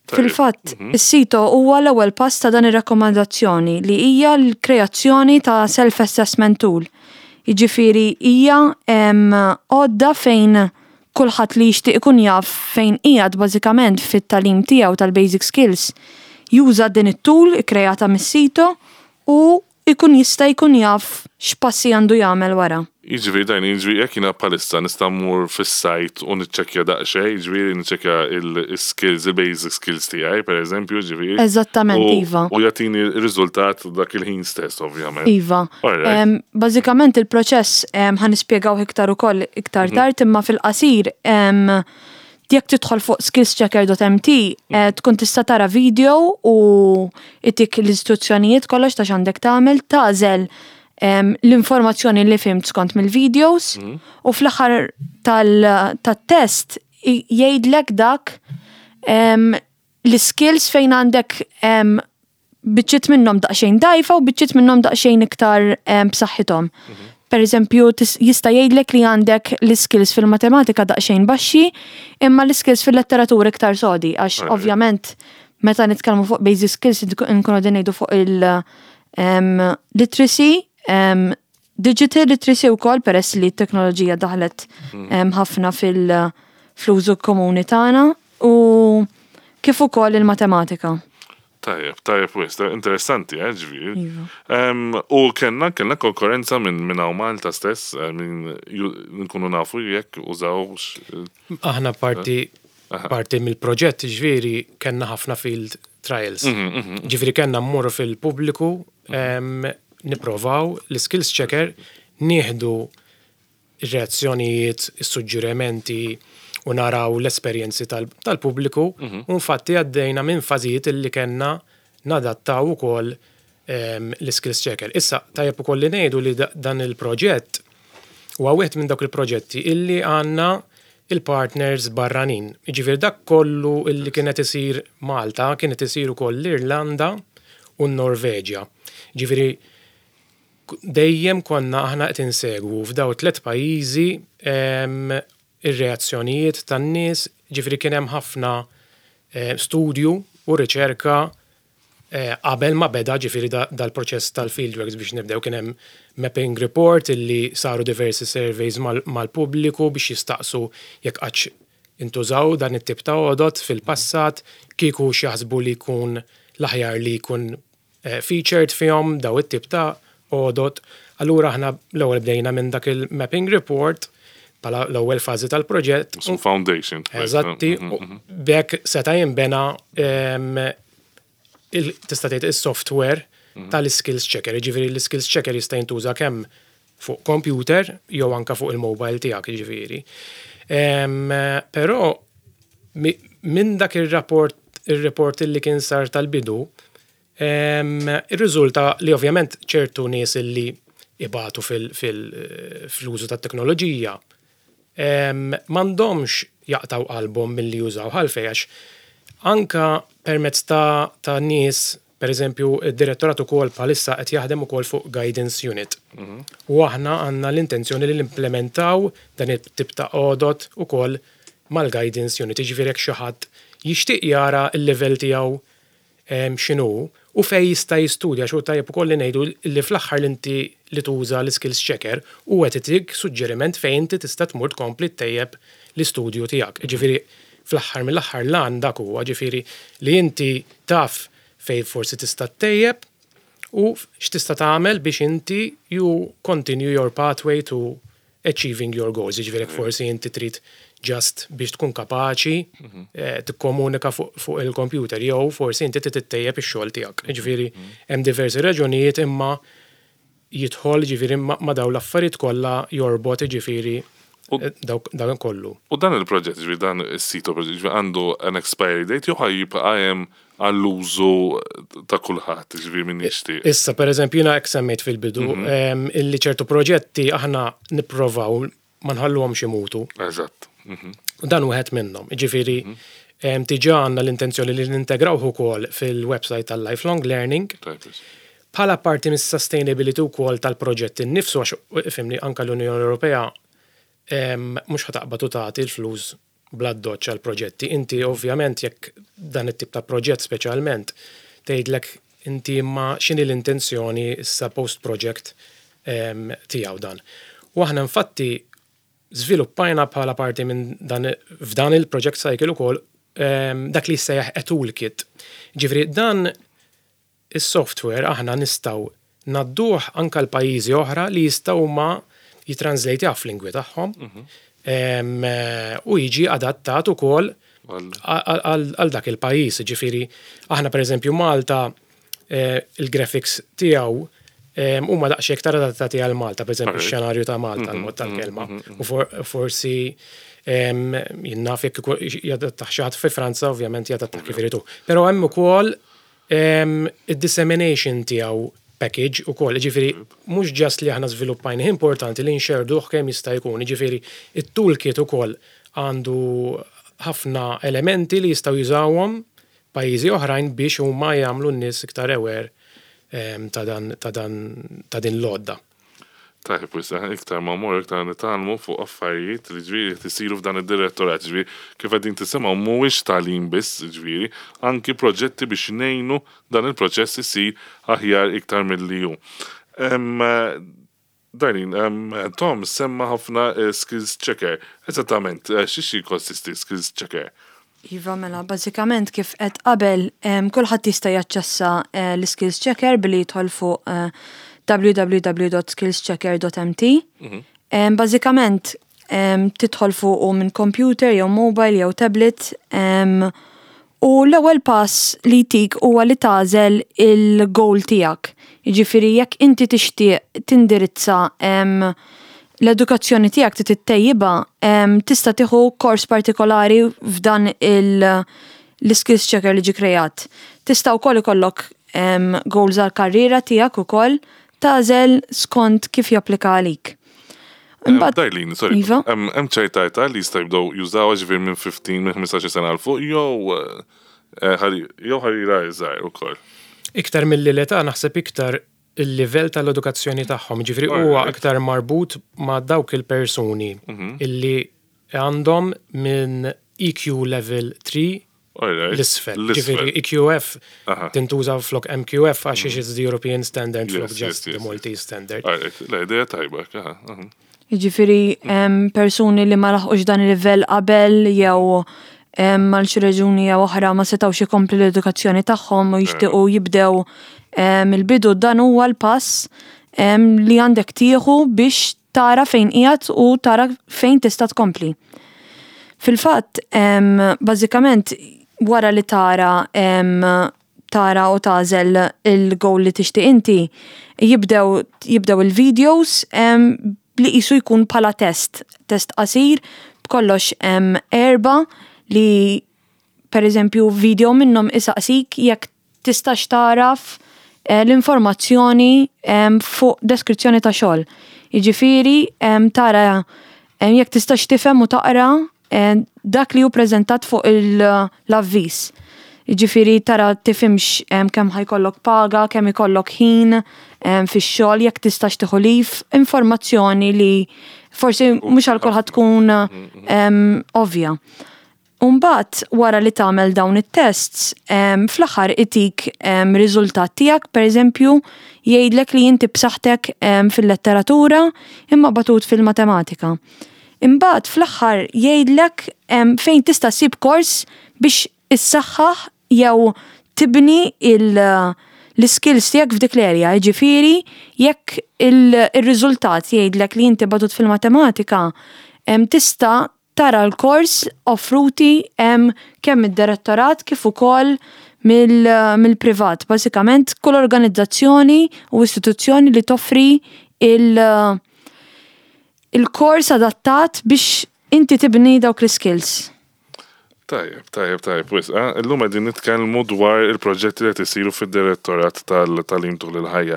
Fil-fatt, is-SITO huwa l-ewwel pass ta' dan ir-rakkomandazzjoni, li hija l-kreazzjoni ta' self-assessment tool. Jiġifieri hija em, għodda fejn kulħadd li jixtieq ikun jaf fejn qiegħed bażikament fit-tagħlim tiegħu tal-basic skills juża din it-tool ikkreata mis-SITO u ikun jista' jkun jaf x'passi għandu jagħmel wara. Jiġifieri dajn, jiġifieri jekk jiena bħalissa nista' mmur fis-sajt u niċċekkja daqsxejn, jiġifieri niċċekkja il-skills, il-basic skills tiegħi, per eżempju, jiġifieri. Eżattament, U- iva. U jagħtini r-riżultat dak il-ħin stess, ovvjament. Iva. Alright. Em, Bażikament il-proċess em, ħa nispjegaw iktar ukoll iktar tard, imma fil-qasir em, jekk tidħol fuq skillschecker punt M T eh, tkun tista' tara video u itik l-istruzzjonijiet kollox ta' x'għandek tagħmel, tagħżel em, l-informazzjoni li fhimt skont mill-videos u fl-aħħar tal- tat-test i- jgħidlek dak em, l-skills fejn għandek em, biċċiet minnhom daqsxejn dajfa u biċċiet minnhom daqsxejn iktar em, b'saħħithom. Per eżempju, tis- jista' jgħidlek li għandek l-skills fil-matematika daqsxejn baxxi, imma l-skills fil-letteratura iktar sodi, għax Alright. ovvjament meta nitkellmu fuq basic skills nkunu qegħdin ngħidu fuq il-literacy, em, digital literacy wkoll, peress li t-teknoloġija daħlet em, ħafna fil- fl-użu komuni tagħna, u kif ukoll il-matematika. Tajjeb, tajjeb wisq, interessanti, eh, ġifieri. Iva. Em, U kellna, kellna konkurrenza minn minn hawn Malta stess, eh, minn ju- nkunu nafu jekk użawx. Aħna parti parti mill-proġett, ġifieri, kellna ħafna field trials. Ġifieri kellna mmorru fil-pubbliku, em, nipprovaw l-skills checker, nieħdu reazzjonijiet, is-suġġerimenti u naraw l-esperjenzi tal- tal-pubbliku u infatti għaddejna minn fażijiet illi kellna nadattaw ukoll em, l-skills checker. Issa, tajjeb ukoll li ngħidu li da- dan il-proġett huwa wieħed minn dawk il-proġetti illi għandna il-partners barranin. Ġifieri dak kollu illi kienet isir Malta kienet isir ukoll l-Irlanda u n-Norveġja. Ġifieri Dejjem konna aħna qed insegwu f'daw tliet pajjiżi em, ir-reazzjonijiet tan-nies, ġifieri kien hemm ħafna eh, studju u riċerka eh, qabel ma beda ġifieri da- dal-proċess tal-fieldworks biex nibdew. Kien hemm mapping report illi saru diversi surveys mal- mal-pubbliku biex jistaqsu jekk qattx intużaw dan it-tip ta' għodot fil-passat, kieku x'jaħsbu li jkun l-aħjar li jkun eh, featured fihom daw it-tip ta' għodot. Allura aħna l-ewwel bdejna minn dak il-mapping report bħala l-ewwel fażi tal-proġett. Su foundation. Eżatti, u b'hekk seta' jinbena em, il- tista' tgħid is-software tal-skills checker. Ġifieri l-skills checker jista' jintuża kemm fuq computer jew anka fuq il-mobile tiegħek, ġifieri. Em, Però mi- minn dak ir-rapport ir-report li kien sar tal-bidu, em, ir-riżulta li ovvjament ċertu nies li ibatu fil-użu tat-teknoloġija em, m'għandhomx jaqtaw qalbhom milli jużaw, għalfejn, għax anka permezz ta', ta' nies, per eżempju, id-direttorat ukoll bħalissa qed jaħdem ukoll fuq guidance unit. U aħna għandna l-intenzjoni li nimplementaw dan it-tip ta' għodot ukoll mal-guidance unit. Jiġifieri jekk xi ħadd jixtieq jara l-level tiegħu em, x'inhu u fej jista' jistudja, xu tajjeb ukoll li ngħidu li fl-aħħar li inti li tuża l-skills checker u qed itik suġġeriment fejn inti tista' tmur tkompli ttejjeb l-istudju tiegħek. Ġifieri fl-aħħar mill-aħħar lan dak huwa, ġifieri li inti taf fej forsi tista' ttejjeb u x'tista' tagħmel biex inti you continue your pathway to achieving your goals. Ġifieri jekk forsi inti trid just biex tkun kapaċi eh, tikkomunika fuq fuq il-computer jew forsi inti trid tittejjeb ix-xogħol tiegħek. Ġifieri hemm diversi raġunijiet, imma jidħol ġifieri ma ma daw l-affarijiet kollha jorbot, ġifieri U- eh, dawk dawn kollu. U dan il-proġett, ġifieri dan is-sito proġett, ġifieri għandu an expiry date jew ħa jibqa' hemm għall-użu ta' kulħadd, ġifieri min jixtieq? Issa, per eżempju, jiena hekk semmejt fil-bidu, em, illi ċertu proġetti aħna nipprovaw ma nħalluhomx imutu. Eżatt. Mhm. U dan wieħed minnhom. Ġifieri em, diġà għandna l-intenzjoni li nintegrawh ukoll fil-website tal-Lifelong Learning Tajjeb. bħala parti mis-sustainability wkoll tal-proġett innifsu, għax ifhimni, anka l-Unjoni Ewropea em, mhux ħa taqbad u tagħti l-flus bla doċ għal proġetti. Inti ovvjament jekk dan it-tip ta' proġett speċjalment tgħidlek inti ma x'inhi l-intenzjoni issa post-project em, tiegħu dan. U aħna infatti żviluppajna bħala parti minn dan f'dan il-project cycle ukoll em, dak li jissejjaħ a toolkit. Ġifieri dan is-software aħna nistgħu ngħadduh anka l-pajjiżi oħra li jistgħu ma jitranslate f'lingwi tagħhom Em, eh, u jiġi adattat ukoll Għal- għal għal dak il-pajjiż. Ġifieri aħna, per eżempju, Malta, eh, il-graphics tiegħu em, huma daqsxejn iktar adattati għal Malta, per eżempju Alright. x-xenarju ta' Malta, l-mod tal-kelma. U for- forsi em, jien naf jekk ikun jadattah xi ħadd fi Franza, ovvjament jadattah kif iridu. Però hemm ukoll em, id-dissemination tiegħu package ukoll, ġifieri mhux just li aħna żviluppajna, importanti li nxerduh kemm jista' jkun, ġifieri it-toolkit ukoll għandu ħafna elementi li jistgħu jużawhom pajjiżi oħrajn biex huma jagħmlu n-nies iktar aware em, ta' dan ta' dan ta' din l-għodda. Tajjeb, issa iktar ma mmorru iktar nitgħallmu fuq affarijiet li ġifieri tisiru f'dan id-direttorat, ġifieri kif qegħdin tisimgħu mhuwiex tagħlim biss, ġifieri anki proġetti biex ngħinu dan il-proċess isir aħjar iktar milli hu. Em, Darlene, em, Tom semma ħafna eh, skills checker. Eżattament, eh, xiex jikkonsisti skills checker? Iva, mela, bażikament kif qed qabel, em, kulħadd jista' jaċċessa eh, l-skills checker billi jidħol fuq eh, w w w dot skillschecker dot m t. Em, Bażikament em, tidħol fuq u minn computer jew mobile jew tablet em, u l-ewwel pass li tik huwa li tagħżel il-goal tiegħek. Jiġifieri jekk inti tixtieq tindirizza em, l-edukazzjoni tiegħek trid tittejjibha, em, tista' tieħu kors partikolari f'dan il l-skills checker li ġi kreat. Tista' wkoll ikollok em, goals għal karriera tiegħek ukoll, tagħżel skont kif japplika għalik. Imbagħad- Darlene, sorry. Iva? Hemm hemm ċerta età li jista' jibdew jużaw, ġifieri minn ħmistax, minn ħmistax-il sena 'l fuq jew eh, ħari jew ħarira iżgħar ukoll? Iktar mill-età naħseb iktar il-livell tal-edukazzjoni tagħhom, ġifieri huwa Alright. aktar marbut ma' dawk il-persuni illi għandhom minn E Q level three Alright. l-isfel. L-isfel. Ġifieri E Q F Aha. tintuża flok M Q F għax it's the European standard flok Yes, just yes, the yes, Maltese standard. Alright, la idea tajba, aha, aha. Jiġifieri em, persuni li ma laħqux dan il-livell qabel jew em, għal xi raġuni jew oħra ma setgħux ikomplu l-edukazzjoni tagħhom u jixtiequ jibdew em, il-bidu, dan huwa l-pass em, li għandek tieħu biex tara fejn qiegħed u tara fejn tista' tkompli. Fil-fatt, em, bażikament wara li tara em, tara u tagħżel il-goal li tixtieq inti, jibdew jibdew il-videos em, li qisu jkun bħala test, test qasir, b'kollox em, erba li per eżempju video minnhom isaqsik jekk tistax taraf eh, l-informazzjoni em, fuq deskrizzjoni ta' xogħol. Jiġifieri em, tara em, jekk tistax tifhem u taqra em, dak li hu preżentat fuq il- l-avviż. Jiġifieri tara tifhimx em, kemm ħa jkollok paga, kemm ikollok ħin em, fix-xogħol, jekk tistax tieħu leave, informazzjoni li forsi mhux għal kulħadd tkun em, ovvja. Umbat, wara li tagħmel dawn it-tests, em, fl-aħħar itik em, riżultat tiegħek, per eżempju, jgħidlek li inti b'saħħtek em, fil-letteratura imma batut fil-matematika. Imbagħad fl-aħħar jgħidlek em, fejn tista' ssib kors biex issaħħaħ jew tibni il- l-skills tiegħek f'dik l-area. Jiġifieri jekk il-riżultat jgħidlek li inti batut fil-matematika, em, tista' tara l-kors offruti em, kemm id-direttorat kif ukoll mill- mill-privat. Bażikament kull organizzazzjoni u istituzzjoni li toffri il- il-kors adattat biex inti tibni dawk l-skills. Tajjeb, tajjeb, tajjeb, wis, eh? Illum qegħdin nitkellmu dwar il-proġetti li qed isiru fid-direttorat tal-tagħlim tul il-ħajja.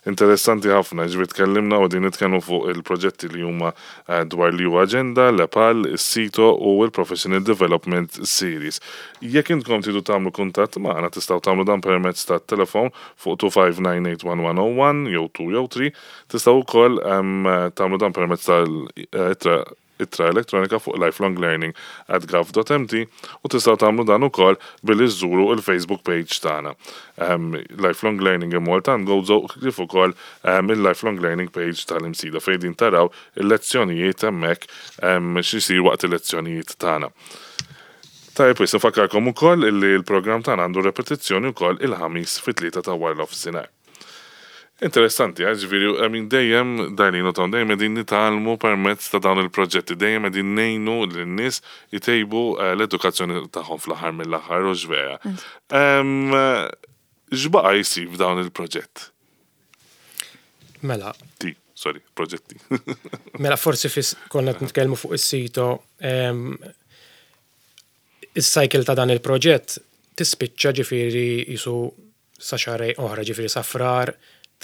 Interessanti ħafna, ġifieri tkellimna u qegħdin nitkellmu fuq il-proġetti li huma eh, dwar l-E U Agenda, l-EPAL, is-SITO u il-Professional Development Series. Jekk intkom tridu tagħmlu kuntatt magħna, tistgħu tagħmlu dan permezz tat-telefon fuq tnejn ħamsa tnejn tlieta wieħed wieħed żero wieħed jew tnejn jew tlieta, tistgħu wkoll em, tagħmlu dan permezz tal-ittra ittra elettronika fuq lifelonglearning at gov dot M T u tistgħu tagħmlu dan ukoll billi żżuru il-Facebook page tagħna. Um, Lifelong Learning in Malta and Gozo kif ukoll um, il-Lifelong Learning page tal-Imsida fejn din taraw il-lezzjonijiet hemmhekk um, x'isir waqt il-lezzjonijiet tagħna. Tajjeb, wis nfakkarkom ukoll illi l-programm tagħna għandu repetizzjoni wkoll il-Ħamis fit-tlieta ta' wara nofsinhar. Interessanti, eh, ġifieri, I mean, dejjem, Darlene u Tom, dejjem qegħdin nitgħallmu permezz ta' dawn il-proġetti, dejjem qegħdin ngħinu lin-nies jtejbu eh, l-edukazzjoni tagħhom fl-aħħar mill-aħħar, u vera. Em, X'baqa' jsir f'dawn il-proġett? Mela, Ti, sorry, proġetti. Mela forsi fis konna qed nitkellmu fuq is-SITO, em, is-cycle ta' dan il-proġett tispiċċa ġifieri jisu sa xahrejn oħra, ġifieri sa Frar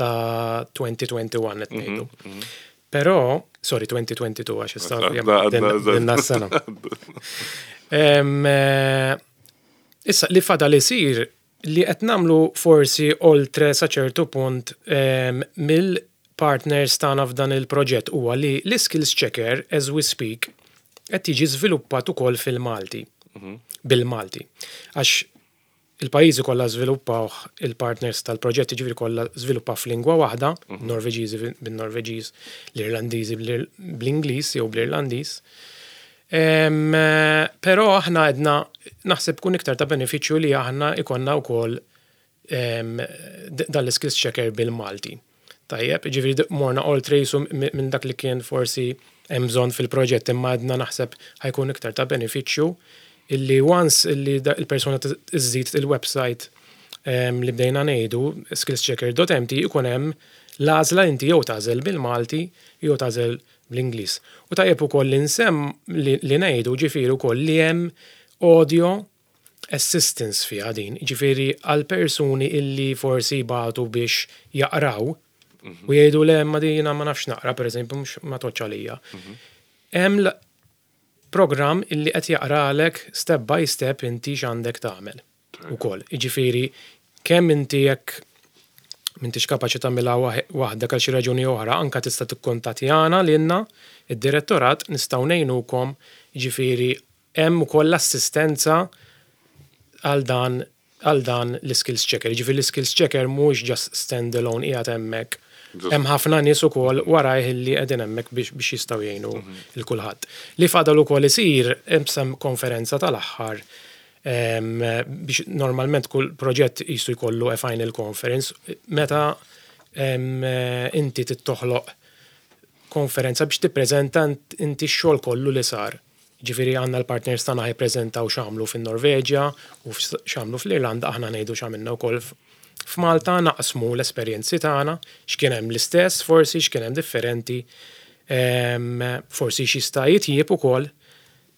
ta' elfejn u wieħed u għoxrin qed ngħidu. Però, sorry, elfejn u tnejn u għoxrin għax issa Għadna- għadna- dinna s-sena. Em, eh, Issa, li fadal isir li qed nagħmlu forsi oltre sa ċertu punt em, mill-partners tagħna f'dan il-proġett huwa li l-skills checker as we speak qed jiġi żviluppat ukoll fil-Malti. Bil-Malti. Għax il-pajjiżi kollha żviluppawh il-partners tal-proġett, ġifieri kollha żviluppaw f'lingwa waħda, Norveġiżi bin-Norveġiż, l-Irlandiżi bl- bl-Ingliż jew bl-Irlandiż. Em, eh, Però aħna għedna naħseb kun iktar ta' benefiċċju li aħna ikonna wkoll em, d- dan l-skills checker bil-Malti. Tajjeb, ġifieri d- morna oltre jisu minn dak li kien forsi hemm bżonn fil-proġett, imma għedna naħseb ħa jkun iktar ta' benefiċċju illi once illi da- il-persuna t- iżżid il-website em, li bdejna ngħidu skillschecker dot M T ikun hemm l-għażla inti jew tagħżel bil-Malti jew tagħżel bl-Ingliż. U tajjeb ukoll li nsem li, li ngħidu ġifieri wkoll li hemm audio assistance fiha din, ġifieri għal persuni illi forsi batu biex jaqraw u jgħidu le, ma dina ma nafx naqra, per eżempju, mhux ma toċ għalija. Hemm l- program illi qed jaqralek step by step inti x'għandek tagħmel ukoll. Jiġifieri kemm inti jekk M'intix kapaċi tagħmilha waħdek għal xi raġuni oħra, anka tista' tikkuntattjana lilna id-direttorat, nistgħu ngħinukom, jiġifieri hemm ukoll assistenza għal dan għal dan l-skills checker. Jiġifieri l-skills checker mhux just stand alone qiegħed hemmhekk. Hemm ħafna nies ukoll warajh li qegħdin hemmhekk biex biex jistgħu jgħinu lil kulħadd. Li fadal ukoll isir hemm konferenza tal-aħħar biex normalment kull proġett jisu jkollu a final conference meta inti tittoħloq konferenza biex tippreżenta inti x-xogħol kollu li sar. Ġifieri għandna l-partners tagħna jippreżentaw x'għamlu fin-Norveġja u x'għamlu fl-Irlanda, aħna ngħidu x'għamilna wkoll f'Malta, naqsmu l-esperjenzi tagħna, x'kien hemm l-istess, forsi x'kien hemm differenti, forsi x'jista' jitjieb ukoll.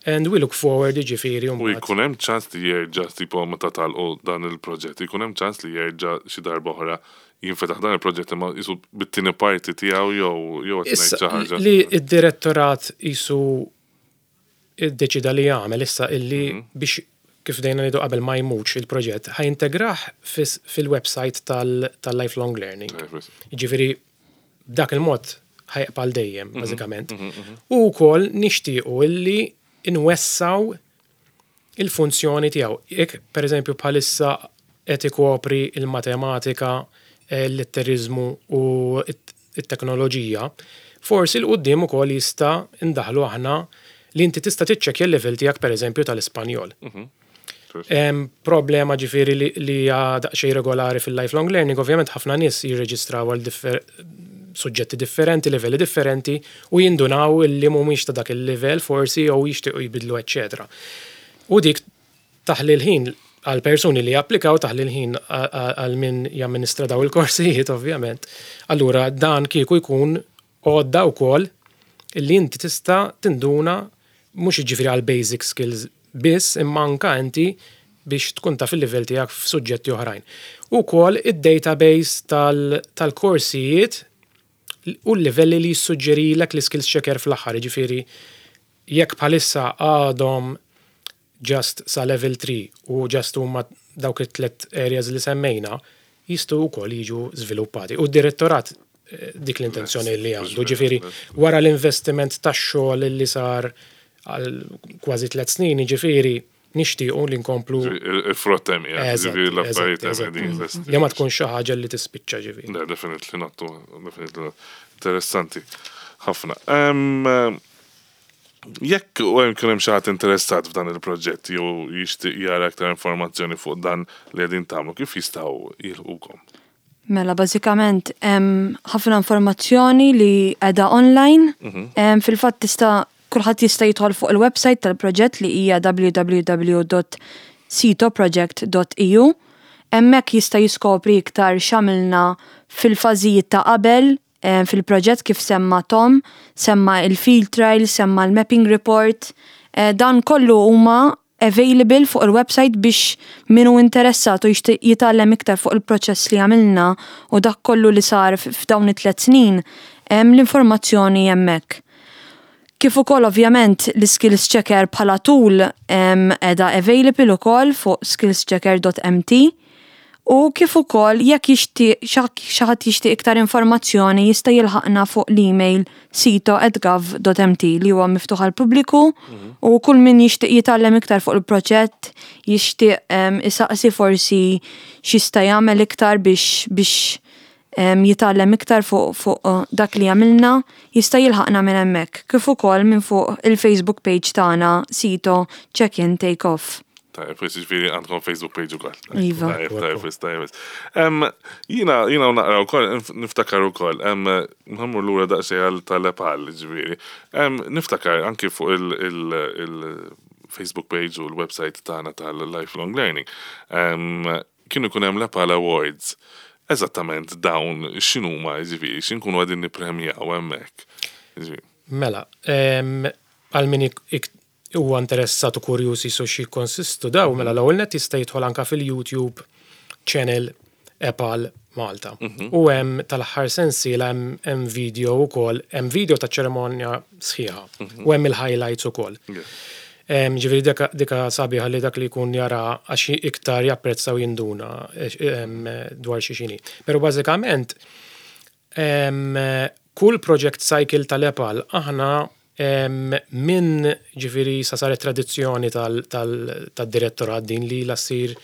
And we look forward, ġifieri. U jkun hemm ċans li jerġa', tipo meta tagħlqu dan il-proġett, jkun hemm ċans li jerġa' xi darba oħra jinfetaħ dan il-proġett imma jisu bit-tieni parti tiegħu jew jew qed ngħid xi ħaġa? Li id-direttorat jisu iddeċida li jagħmel issa illi mhm. biex, kif dejna ngħidu qabel, ma jmutx il-proġett, ħa jintegrah fil-website tal-lifelong learning. Ġifieri b'dak il-mod ħa jibqa' dejjem, mhm, bażikament. Mhm, U wkoll nixtiequ illi inwessaw il-funzjoni tiegħu. Jekk pereżempju bħalissa qed ikopri il-matematika, l-litterizmu u it-teknoloġija, forsi 'l quddiem ukoll jista' indaħlu aħna li inti tista' tiċċekkja l-level tiegħek, pereżempju tal-Ispanjol. Mhm. Problema ġifieri li hija daqsxejn regolari fil-lifelong learning, ovvjament ħafna nies jirreġistraw għal suġġetti differenti, livelli differenti, u jindunaw li mhumiex ta' dak il-livell forsi jew jixtiequ jbidlu, eċċetera. U dik taħli l-ħin għal persuni li applikaw, taħli l-ħin għal min jamministra daw il-korsijiet, ovvjament. Allura dan kieku jkun għodda wkoll illi inti tista' tinduna mhux jiġifieri għal basic skills biss, imma anka inti biex tkun taf il-livell tiegħek f'suġġetti oħrajn. Ukoll id-database tal-korsijiet u l-livelli li jissuġġerilek l-skills checker fl-aħħar, ġifieri jekk bħalissa għadhom just sa level three u just huma dawk it-tlet areas li semmejna, jistgħu wkoll jiġu żviluppati. U d-direttorat eh, dik l-intenzjoni li għandu, ġifieri wara l-investiment tax-xogħol li sar għal kważi tliet snin, ġifieri nixtiequ li nkomplu. Il-frott hemm, ġifieri l-affarijiet hemm. Li ma tkun xi ħaġa li tispiċċa, ġifieri. Le, definitely not, definitely not. Interessanti ħafna. Jekk u hemm kien hemm xi ħadd interessat f'dan il-proġett jew jixtieq jara aktar informazzjoni fuq dan li qegħdin tagħmlu, kif jistgħu jilħqukom? Mela, bażikament hemm ħafna informazzjoni li qiegħda online. Mhm. Fil-fatt tista' kulħadd jista' jidħol fuq il-website tal-proġett li hija w w w punt sitoproject punt e u. Hemmhekk jista' jiskopri iktar x'għamilna fil-fażijiet ta' qabel fil-proġett, kif semma Tom, semma il-field trial, semma l-mapping report. Eh, dan kollu huma available fuq il-website biex minu interessat u jixtieq jitgħallem iktar fuq il-proċess li għamilna u dak kollu li sar f'dawn it-tliet snin, hemm l-informazzjoni hemmhekk. Kif ukoll ovvjament l-Skills Checker bħala tool qiegħda available ukoll fuq skillschecker punt M T. U kif ukoll jekk jixtieq xi ħadd jixtieq iktar informazzjoni, jista' jilħaqna fuq l-email sito at gov punt M T li huwa miftuħ għal pubbliku u kull min jixtieq jitgħallem iktar fuq il-proġett, jixtieq isaqsi forsi x'jista' jagħmel iktar biex biex jitgħallem iktar fuq fuq uh, dak li għamilna, jista' jilħaqna minn hemmhekk. Kif ukoll minn fuq il-Facebook page tagħna, Sito Check-in Take Off. Tajjeb, ġifieri għandkom Facebook page ukoll. Iva. Tajjeb, tajjeb, tajjeb. Jiena, jiena naqra wkoll, niftakar ukoll, nħammur lura daqsxejn għal tal-EPAL, ġifieri. Niftakar anki fuq il-Facebook page u l-website tagħna tal-Lifelong Learning. Kienu jkun hemm l-EPAL Awards. Eżattament dawn x'inhuma, ġifieri, x'inkunu qegħdin nippremjaw hemmhekk? Mela, għal min huwa interessat u kurjuż jisu xi konsistu daw, mela l-ewwel net jista' jidħol anka fil-YouTube channel EPAL Malta. Mhm. U hemm tal-aħħar sensiela hemm video wkoll, hemm video ta' ċerimonja sħiħa mhm. u hemm il-highlights ukoll. Em, Ġifieri dika, dika sabiħa li dak li jkun jara għax iktar japprezza u jinduna em, dwar xi xini. Pero bażikament em, kull project cycle tal-EPAL aħna em, minn ġifieri sa saret tradizzjoni tal-direttorat din li la ssir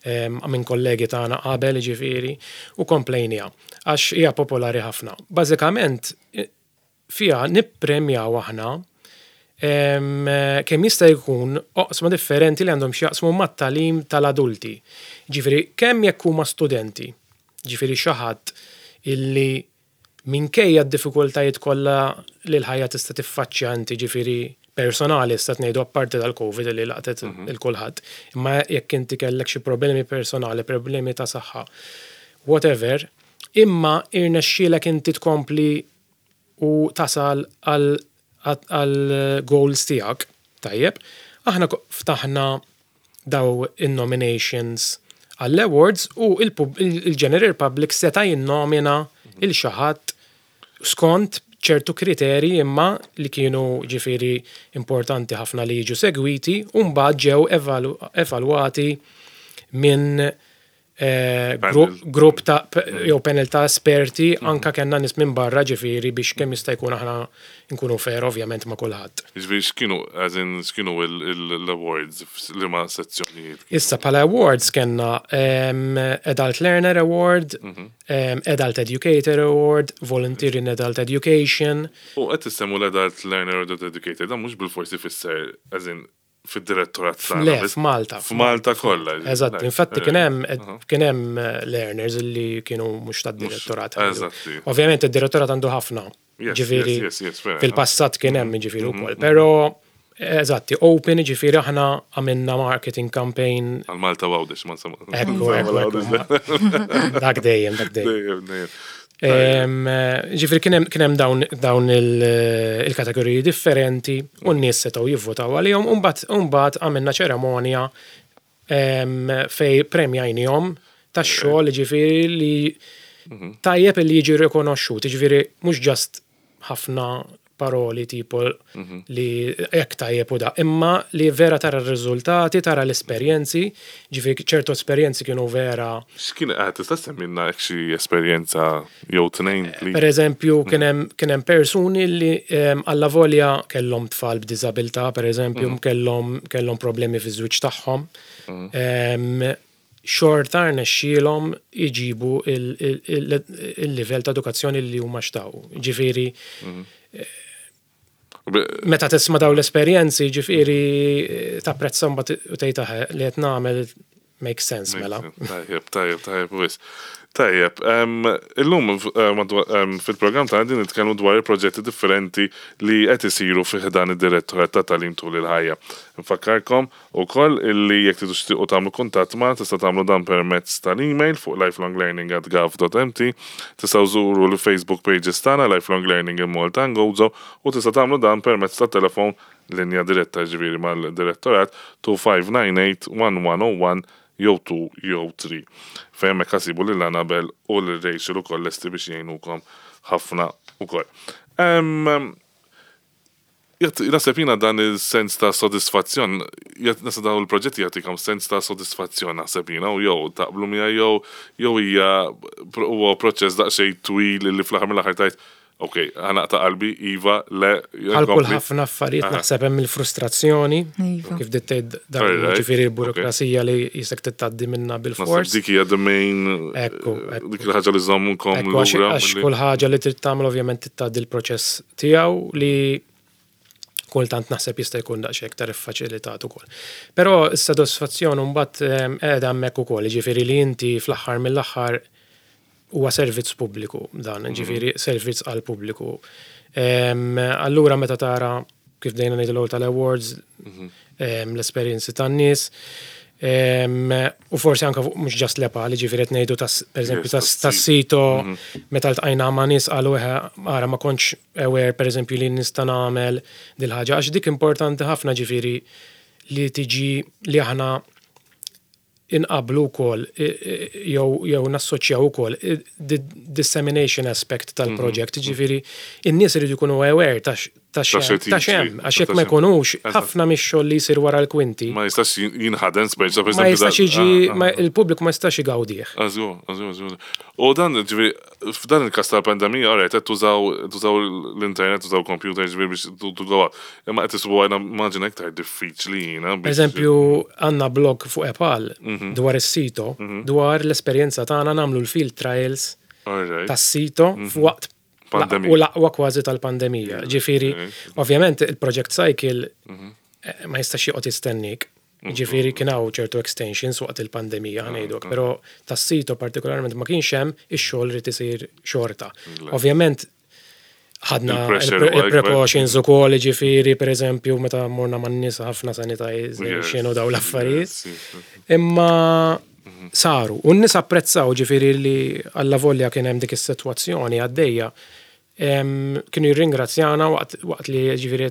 em, minn kollegi tagħna qabel ġifieri u komplejnija għax hija popolari ħafna. Bażikament eh, fiha nippremjaw aħna em, kemm jista' jkun oqsma differenti li għandhom x'jaqsmu mat-tagħlim tal-adulti. Ġifieri kemm jekk huma studenti, ġifieri xi ħadd illi minkejja d-diffikultajiet kollha li l-ħajja tista' tiffaċċja inti, ġifieri personali sta ngħidu apparti dal-Covid li laqtet il-kulħadd, imma jekk inti kellek xi problemi personali, problemi ta' saħħa, whatever, imma irnexxielek inti tkompli u tasal għal għal goals tiegħek, tajjeb, aħna ko- ftaħna daw in-nominations għall-awards u il-pub- il- il-general public seta' jinnomina lil xi ħadd skont ċertu kriteri imma li kienu ġifieri importanti ħafna li jiġu segwiti u mbagħad ġew evalu evalwati minn eh, grupp Panel. grupp ta' jew panel ta' esperti, anka kellna nies minn barra ġifieri biex kemm jista' jkun aħna nkunu fair ovvjament ma' kulħadd. Ġifieri x'kienu, as in, x'kienu l-awards, liema sezzjonijiet? Issa bħala awards kellna um, Adult Learner Award, um, Adult Educator Award, Volunteer in Adult Education. U qed tissemmu l-Adult Learner u Adult Educator, dan mhux bilforsi fisser, as in, fid-direttorat tagħna Le, biss. f'Malta. F'Malta kollha. Eżatt, infatti kien hemm Aha. kien hemm eh, learners li kienu mhux tad-direttorat. Eżatti. Ovvjament id-direttorat għandu ħafna. Yes, Ġifieri yes, yes, yes, fair fil-passat kien hemm ġifieri ukoll. Però eżatti, open, ġifieri aħna għamilna marketing campaign. Għal Malta Għawdex, ma nsemmu. Ekku, ekku, ekku. Dak dejjem, dak dejjem. Dejjem, dejjem. Em, Ġifieri kien hemm kien hemm dawn, dawn il- il-kategoriji differenti u n-nies setgħu jivvotaw għalihom u mbagħad u mbagħad għamilna ċeremonja em, fej premjajnihom tax-xogħol, ġifieri li tajjeb li jiġi rikonoxxut, ġifieri mhux just ħafna paroli tipo li jekk tajjeb u da, imma li vera tara r-riżultati, tara l-esperjenzi, ġifieri ċertu esperjenzi kienu vera. X'kien qed tista' semmilna hekk xi esperjenza jew tnejn, please? Per eżempju, kien hemm kien hemm persuni li em, alla volja kellhom tfal b'diżabilità, per eżempju, kellhom kellhom problemi fiż-żwieġ tagħhom. Em, Xorta rnexxielhom iġibu il- il- il- il-livell ta' edukazzjoni li huma xtaqu. Ġifieri, Be- meta tisma' daw l-esperjenzi, ġifieri tapprezza mbagħad u tgħid aħe li qed nagħmel make sense mela. Tajjeb, tajjeb, tajjeb, wis. Tajjeb, em, illum eh, madwa- em, fil-programm ta' għandin nitkellmu dwar il-proġetti differenti li qed isiru fi ħdan id-direttorat ta' tagħlim tul il-ħajja. Nfakkarkom ukoll illi jekk tridu tixtiequ tagħmlu kuntatt ma' tista' tagħmlu dan permezz tal-email fuq lifelonglearning at gov dot M T, tistgħu żuru l-Facebook pages tagħna Lifelong Learning in Malta and Gozo u tista' tagħmlu dan permezz tat-telefon linja diretta ġifieri mal-direttorat tnejn ħamsa disa tmiem wieħed wieħed żero wieħed jew tnejn jew tlieta. Fejn hemmhekk ħa ssibu lil Annabel u lil Rachel ukoll lesti biex jgħinukom ħafna ukoll. Em, jgħat- Naħseb jiena dan il-sens ta' sodisfazzjon, jgħat- naħseb dawn il-proġetti jagħtikom sens ta' sodisfazzjon, naħseb jiena, u jew taqblu miegħi jew jew hija huwa proċess daqsxejn twil li fl-aħħar mill-aħħar tajt, ok, ħa naqta' qalbi, iva, le, Għal kull nkompli. ħafna affarijiet naħseb hemm il-frustrazzjoni, Iva. kif dittejt dan Alright, ġifieri l-burokrazija li jisek tgħaddi minna Naħseb bil-fors. dik hija the main Ekku, ekku. dik il-ħaġa li żommukom Ekku, għax lura. għax milli- kull ħaġa li trid tagħmel ovvjament tgħaddi l-proċess tiegħu li kultant naħseb jista' jkun daqsxejn iktar iffaċilitat ukoll. Però s-sodisfazzjon mbagħad ehm, qiegħda hemmhekk ukoll, jiġifieri li inti fl-aħħar mill-aħħar huwa servizz pubbliku dan, ġifieri servizz għal pubbliku. Ehm, Allura meta tara kif dejna ngħidu l-ewwel tal-awards, ehm, l-esperjenzi tan-nies, ehm, u forsi anka fuq mhux just l-EPAL, ġifieri qed ngħidu tas pereżempju Yes, tas tas-sito. Tas-sito, meta ltqajna ma' nies qalu eħe ara ma kontx aware pereżempju li nista' nagħmel dil-ħaġa, għax dik importanti ħafna ġifieri li tiġi li aħna inqablu wkoll jew jew nassoċjaw ukoll i- the dissemination aspect tal-project, ġifieri in-nies iridu jkunu aware ta' x- ta' Ta' xem, xi ta' tiġri. xem, għax jekk Ta' ma xem. jkunux, Eżatt. ħafna mix-xogħol li jsir wara l-kwinti, Ma jistax jinħadem speċa per ma jistax jiġi, Ah, ma- il-pubbliku ma jistax igawdih. Żgur, żgur, żgur. U dan, ġifieri, f'dan il-kas tal-pandemija, alright, qed tużaw tużaw l-internet, tużaw computer, ġifieri biex to to go out. Imma qed isibu għajna immaġina iktar diffiċli jiena. Per eżempju, għandna blog fuq EPAL Mhm. dwar is-sito, dwar l-esperjenza tagħna nagħmlu l-field trials Alright. tas-sito f'waqt Pandemija. u l-aqwa kważi tal-pandemija. Ġifieri, ovvjament il-Project Cycle eh, ma jistax joqgħod jistennik. Ġifieri kien hawn ċertu extensions waqt il-pandemija ħa ngħiduk, però tas-sito partikolarment ma kienx hemm, ix-xogħol rid isir xorta. Ovvjament ħadna Il-pressure huwa ikbar. il-precautions ukoll, ġifieri, per eżempju, meta morna man-nies ħafna sanitization u daw l-affarijiet. Yes, yes. Imma saru, u n-nies apprezzaw, ġifieri, li alla volja kien hemm dik is-sitwazzjoni għaddejja. em, Kienu jirringrazzjana waqt, waqt li ġifieri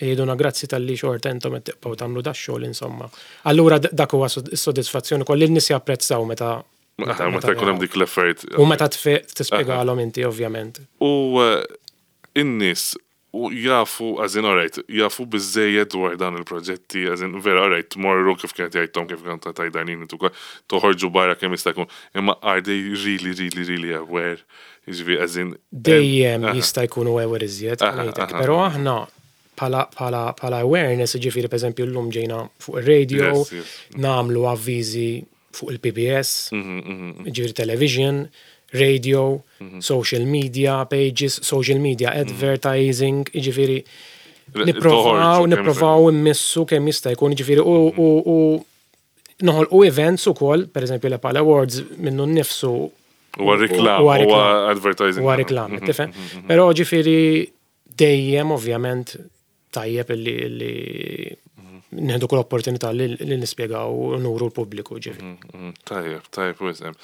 jgħiduna grazzi talli xorta intom qed tibqgħu tagħmlu da xogħol insomma. Allura d- dak huwa sod- is-sodisfazzjoni kolli n-nies japprezzaw meta Meta meta jkun hemm dik l-effort. U meta tfe- tispjegalhom inti, ovvjament. U eh, in-nies u jafu, as in, alright, jafu biżżejjed dwar dan il-proġetti, as in, vera, alright, tmorru kif kienet jgħidtom, kif kienet tajdanin, toħorġu barra kemm jista' jkun, imma are they really, really, really aware? Jiġifieri, as in, Dejjem Aha. jista' jkunu aware iżjed, Aha, ngħidlek, aha. però aħna bħala bħala bħala awareness, ġifieri, per eżempju, llum ġejna fuq ir-radio, Yes, yes. nagħmlu avviżi fuq il-P B S, Mhm, mhm. ġifieri television, radio, social media pages, social media advertising, ġifieri nipprovaw, Toħorġu kemm nipprovaw immissu kemm jista' jkun, ġifieri u u u noħolqu events ukoll, per eżempju l-Epal Awards minnu nnifsu Huwa reklam, huwa huwa reklam. advertising. Huwa reklam, tifhem? Però ġifieri dejjem ovvjament tajjeb illi illi nieħdu kull opportunità li li nispjegaw u nuru l-pubbliku, ġifieri. Mhm, Tajjeb, tajjeb, wisem.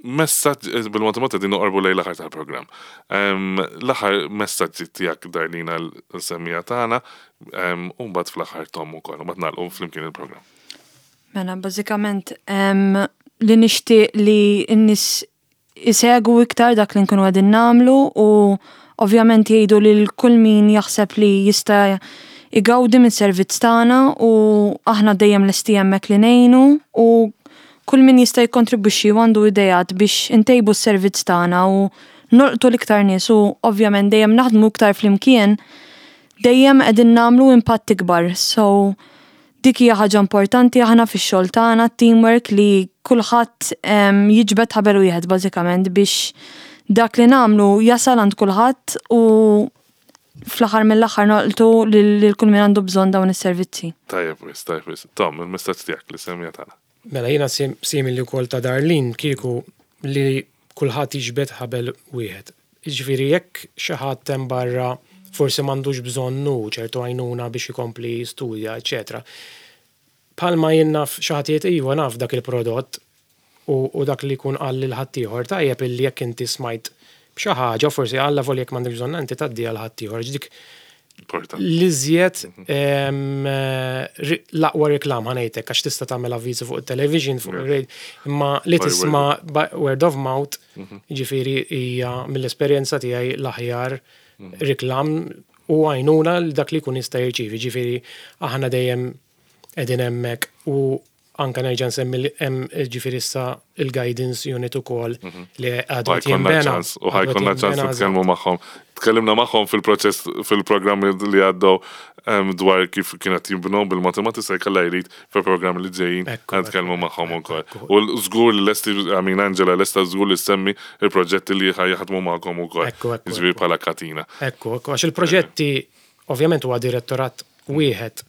Messaġġ, eh, bil-mod din noqorbu lejn l-aħħar tal-programm. Em, L-aħħar messaġġi tiegħek, Darlina, l-semmiegħa tagħna, em, u mbagħad fl-aħħar Tom ukoll, u mbagħad nagħlqu flimkien il-programm. Mela, bażikament, em, li nixtieq li n-nies isegwu iktar dak li nkunu qegħdin nagħmlu u ovvjament jgħidu lil kull min jaħseb li jista' igawdi minn servizz tagħna u aħna dejjem lesti hemmhekk li ngħinu u kull min jista' jikkontribwixxi u għandu idejat biex intejbu s-servizz tagħna u nolqtu l-iktar nies u ovvjament dejjem naħdmu iktar flimkien, dejjem qegħdin nagħmlu impatt ikbar. So dik hija ħaġa importanti aħna fix-xogħol tagħna, teamwork, li kulħadd em, jiġbed ħabel wieħed bażikament biex dak li nagħmlu jasal għand kulħadd u fl-aħħar mill-aħħar nolqtu lil lil kull min għandu bżonn dawn is-servizzi. Tajjeb, wis, tajjeb, wis. Tom, il-messaġġ tiegħek lis-semmiegħa tagħna. Mela jiena sim- simili wkoll ta' Darlene, kieku li kulħadd jiġbed ħabel wieħed. Ġifieri jekk xi ħadd hemm barra forsi m'għandux bżonnu ċertu għajnuna biex ikompli studja, eċetera. Palma jien naf xi ħadd jgħid iva naf dak il-prodott u, u dak li jkun qal lil ħaddieħor, tajjeb illi jekk inti smajt b'xi ħaġa, forsi alla volja jekk m'għandek bżonn inti tgħaddi għal ħaddieħor. Dik Importanti. l-iżjed em, eh, ri- l-aqwa reklam ħa ngħidlek, għax tista' tagħmel avviżi fuq il-television, fuq il-radio, imma li By tisma' by word of mouth, ġifieri hija mill-esperjenza tiegħi l-aħjar reklam u għajnuna l dak li jkun jista' jirċievi. Ġifieri aħna dejjem qegħdin hemmhekk u anka nerġa' nsemmi li hemm ġifieri issa il-guidance unit ukoll li għadu Ħa jkollna jinbena. ċans, u ħa jkollna Għadu ċans jinbena. nitkellmu magħhom. Tkellimna magħhom fil-proċess fil-programmi li għaddew em, dwar kif kienet jinbnew bil-matematika, jkollha jrid fil-programmi li ġejjin Ekku, nitkellmu ekku, magħhom ukoll. ekku. U żgur li lesti, I mean, Angela lesta żgur li semmi il-proġetti li ħa jaħdmu magħkom ukoll. Ekku, ekku, Jiġifieri ekku. bħala katina. Ekku, ekku, għax il-proġetti, ovvjament huwa direttorat wieħed,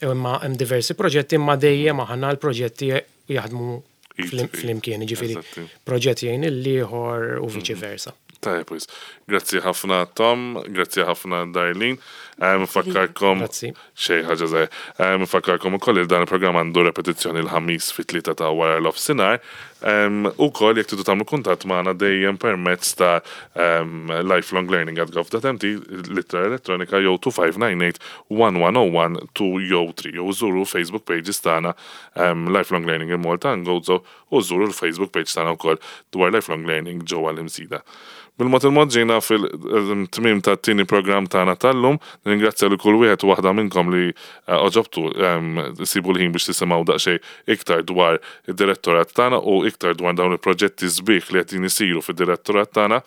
imma hemm diversi proġetti, imma dejjem aħna l-proġetti jaħdmu Id flim- f'id. flimkien, ġifieri Eżatti. proġett jgħin il-ieħor u viċi versa. Tajjeb, wis. Grazzi ħafna Tom, grazzi ħafna Darlene. Nfakkarkom Grazzi. Xej ħaġa żgħir. Nfakkarkom ukoll li dan il-programm għandu repetizzjoni l-Ħamis fit-tlieta ta' wara l-offsinar. Ukoll jekk tridu tagħmlu kuntatt magħna dejjem permezz ta' em, lifelonglearning at gov dot M T, l-ittra elettronika, jew two five nine eight one one zero one two jew three, jew żuru Facebook pages tagħna, em, Lifelong Learning in Malta and Gozo, u żuru l-Facebook page tagħna wkoll dwar Lifelong Learning ġewwa l-Imsida. Bil-mod il-mod ġejna fil-tmim ta' tieni programm tagħna tal-lum. Ningrazzja li kull wieħed u waħda minnkom li eh, għoġobtu em, sibu l-ħin biex tisimgħu daqsxejn iktar dwar id-direttorat tagħna u iktar dwar dawn il-proġetti sbieħ li qed isiru fid-direttorat tagħna.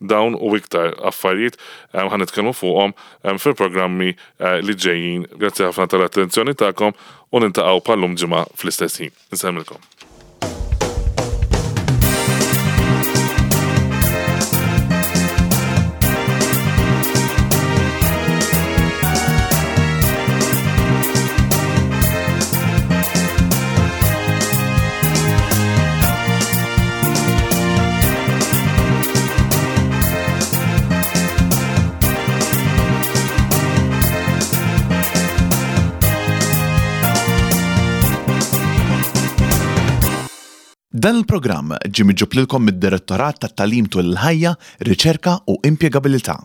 Dawn u iktar affarijiet em, ħa nitkellmu fuqhom em, fil-programmi eh, li ġejjin. Grazzi ħafna tal-attenzjoni tagħkom u niltaqgħu bħal-lum ġimgħa fl-istess ħin. Insellmilkom. Dan il-programm ġie miġjub lilkom mid-Direttorat tat-Tagħlim Tul il-Ħajja, Riċerka u Impjegabilità.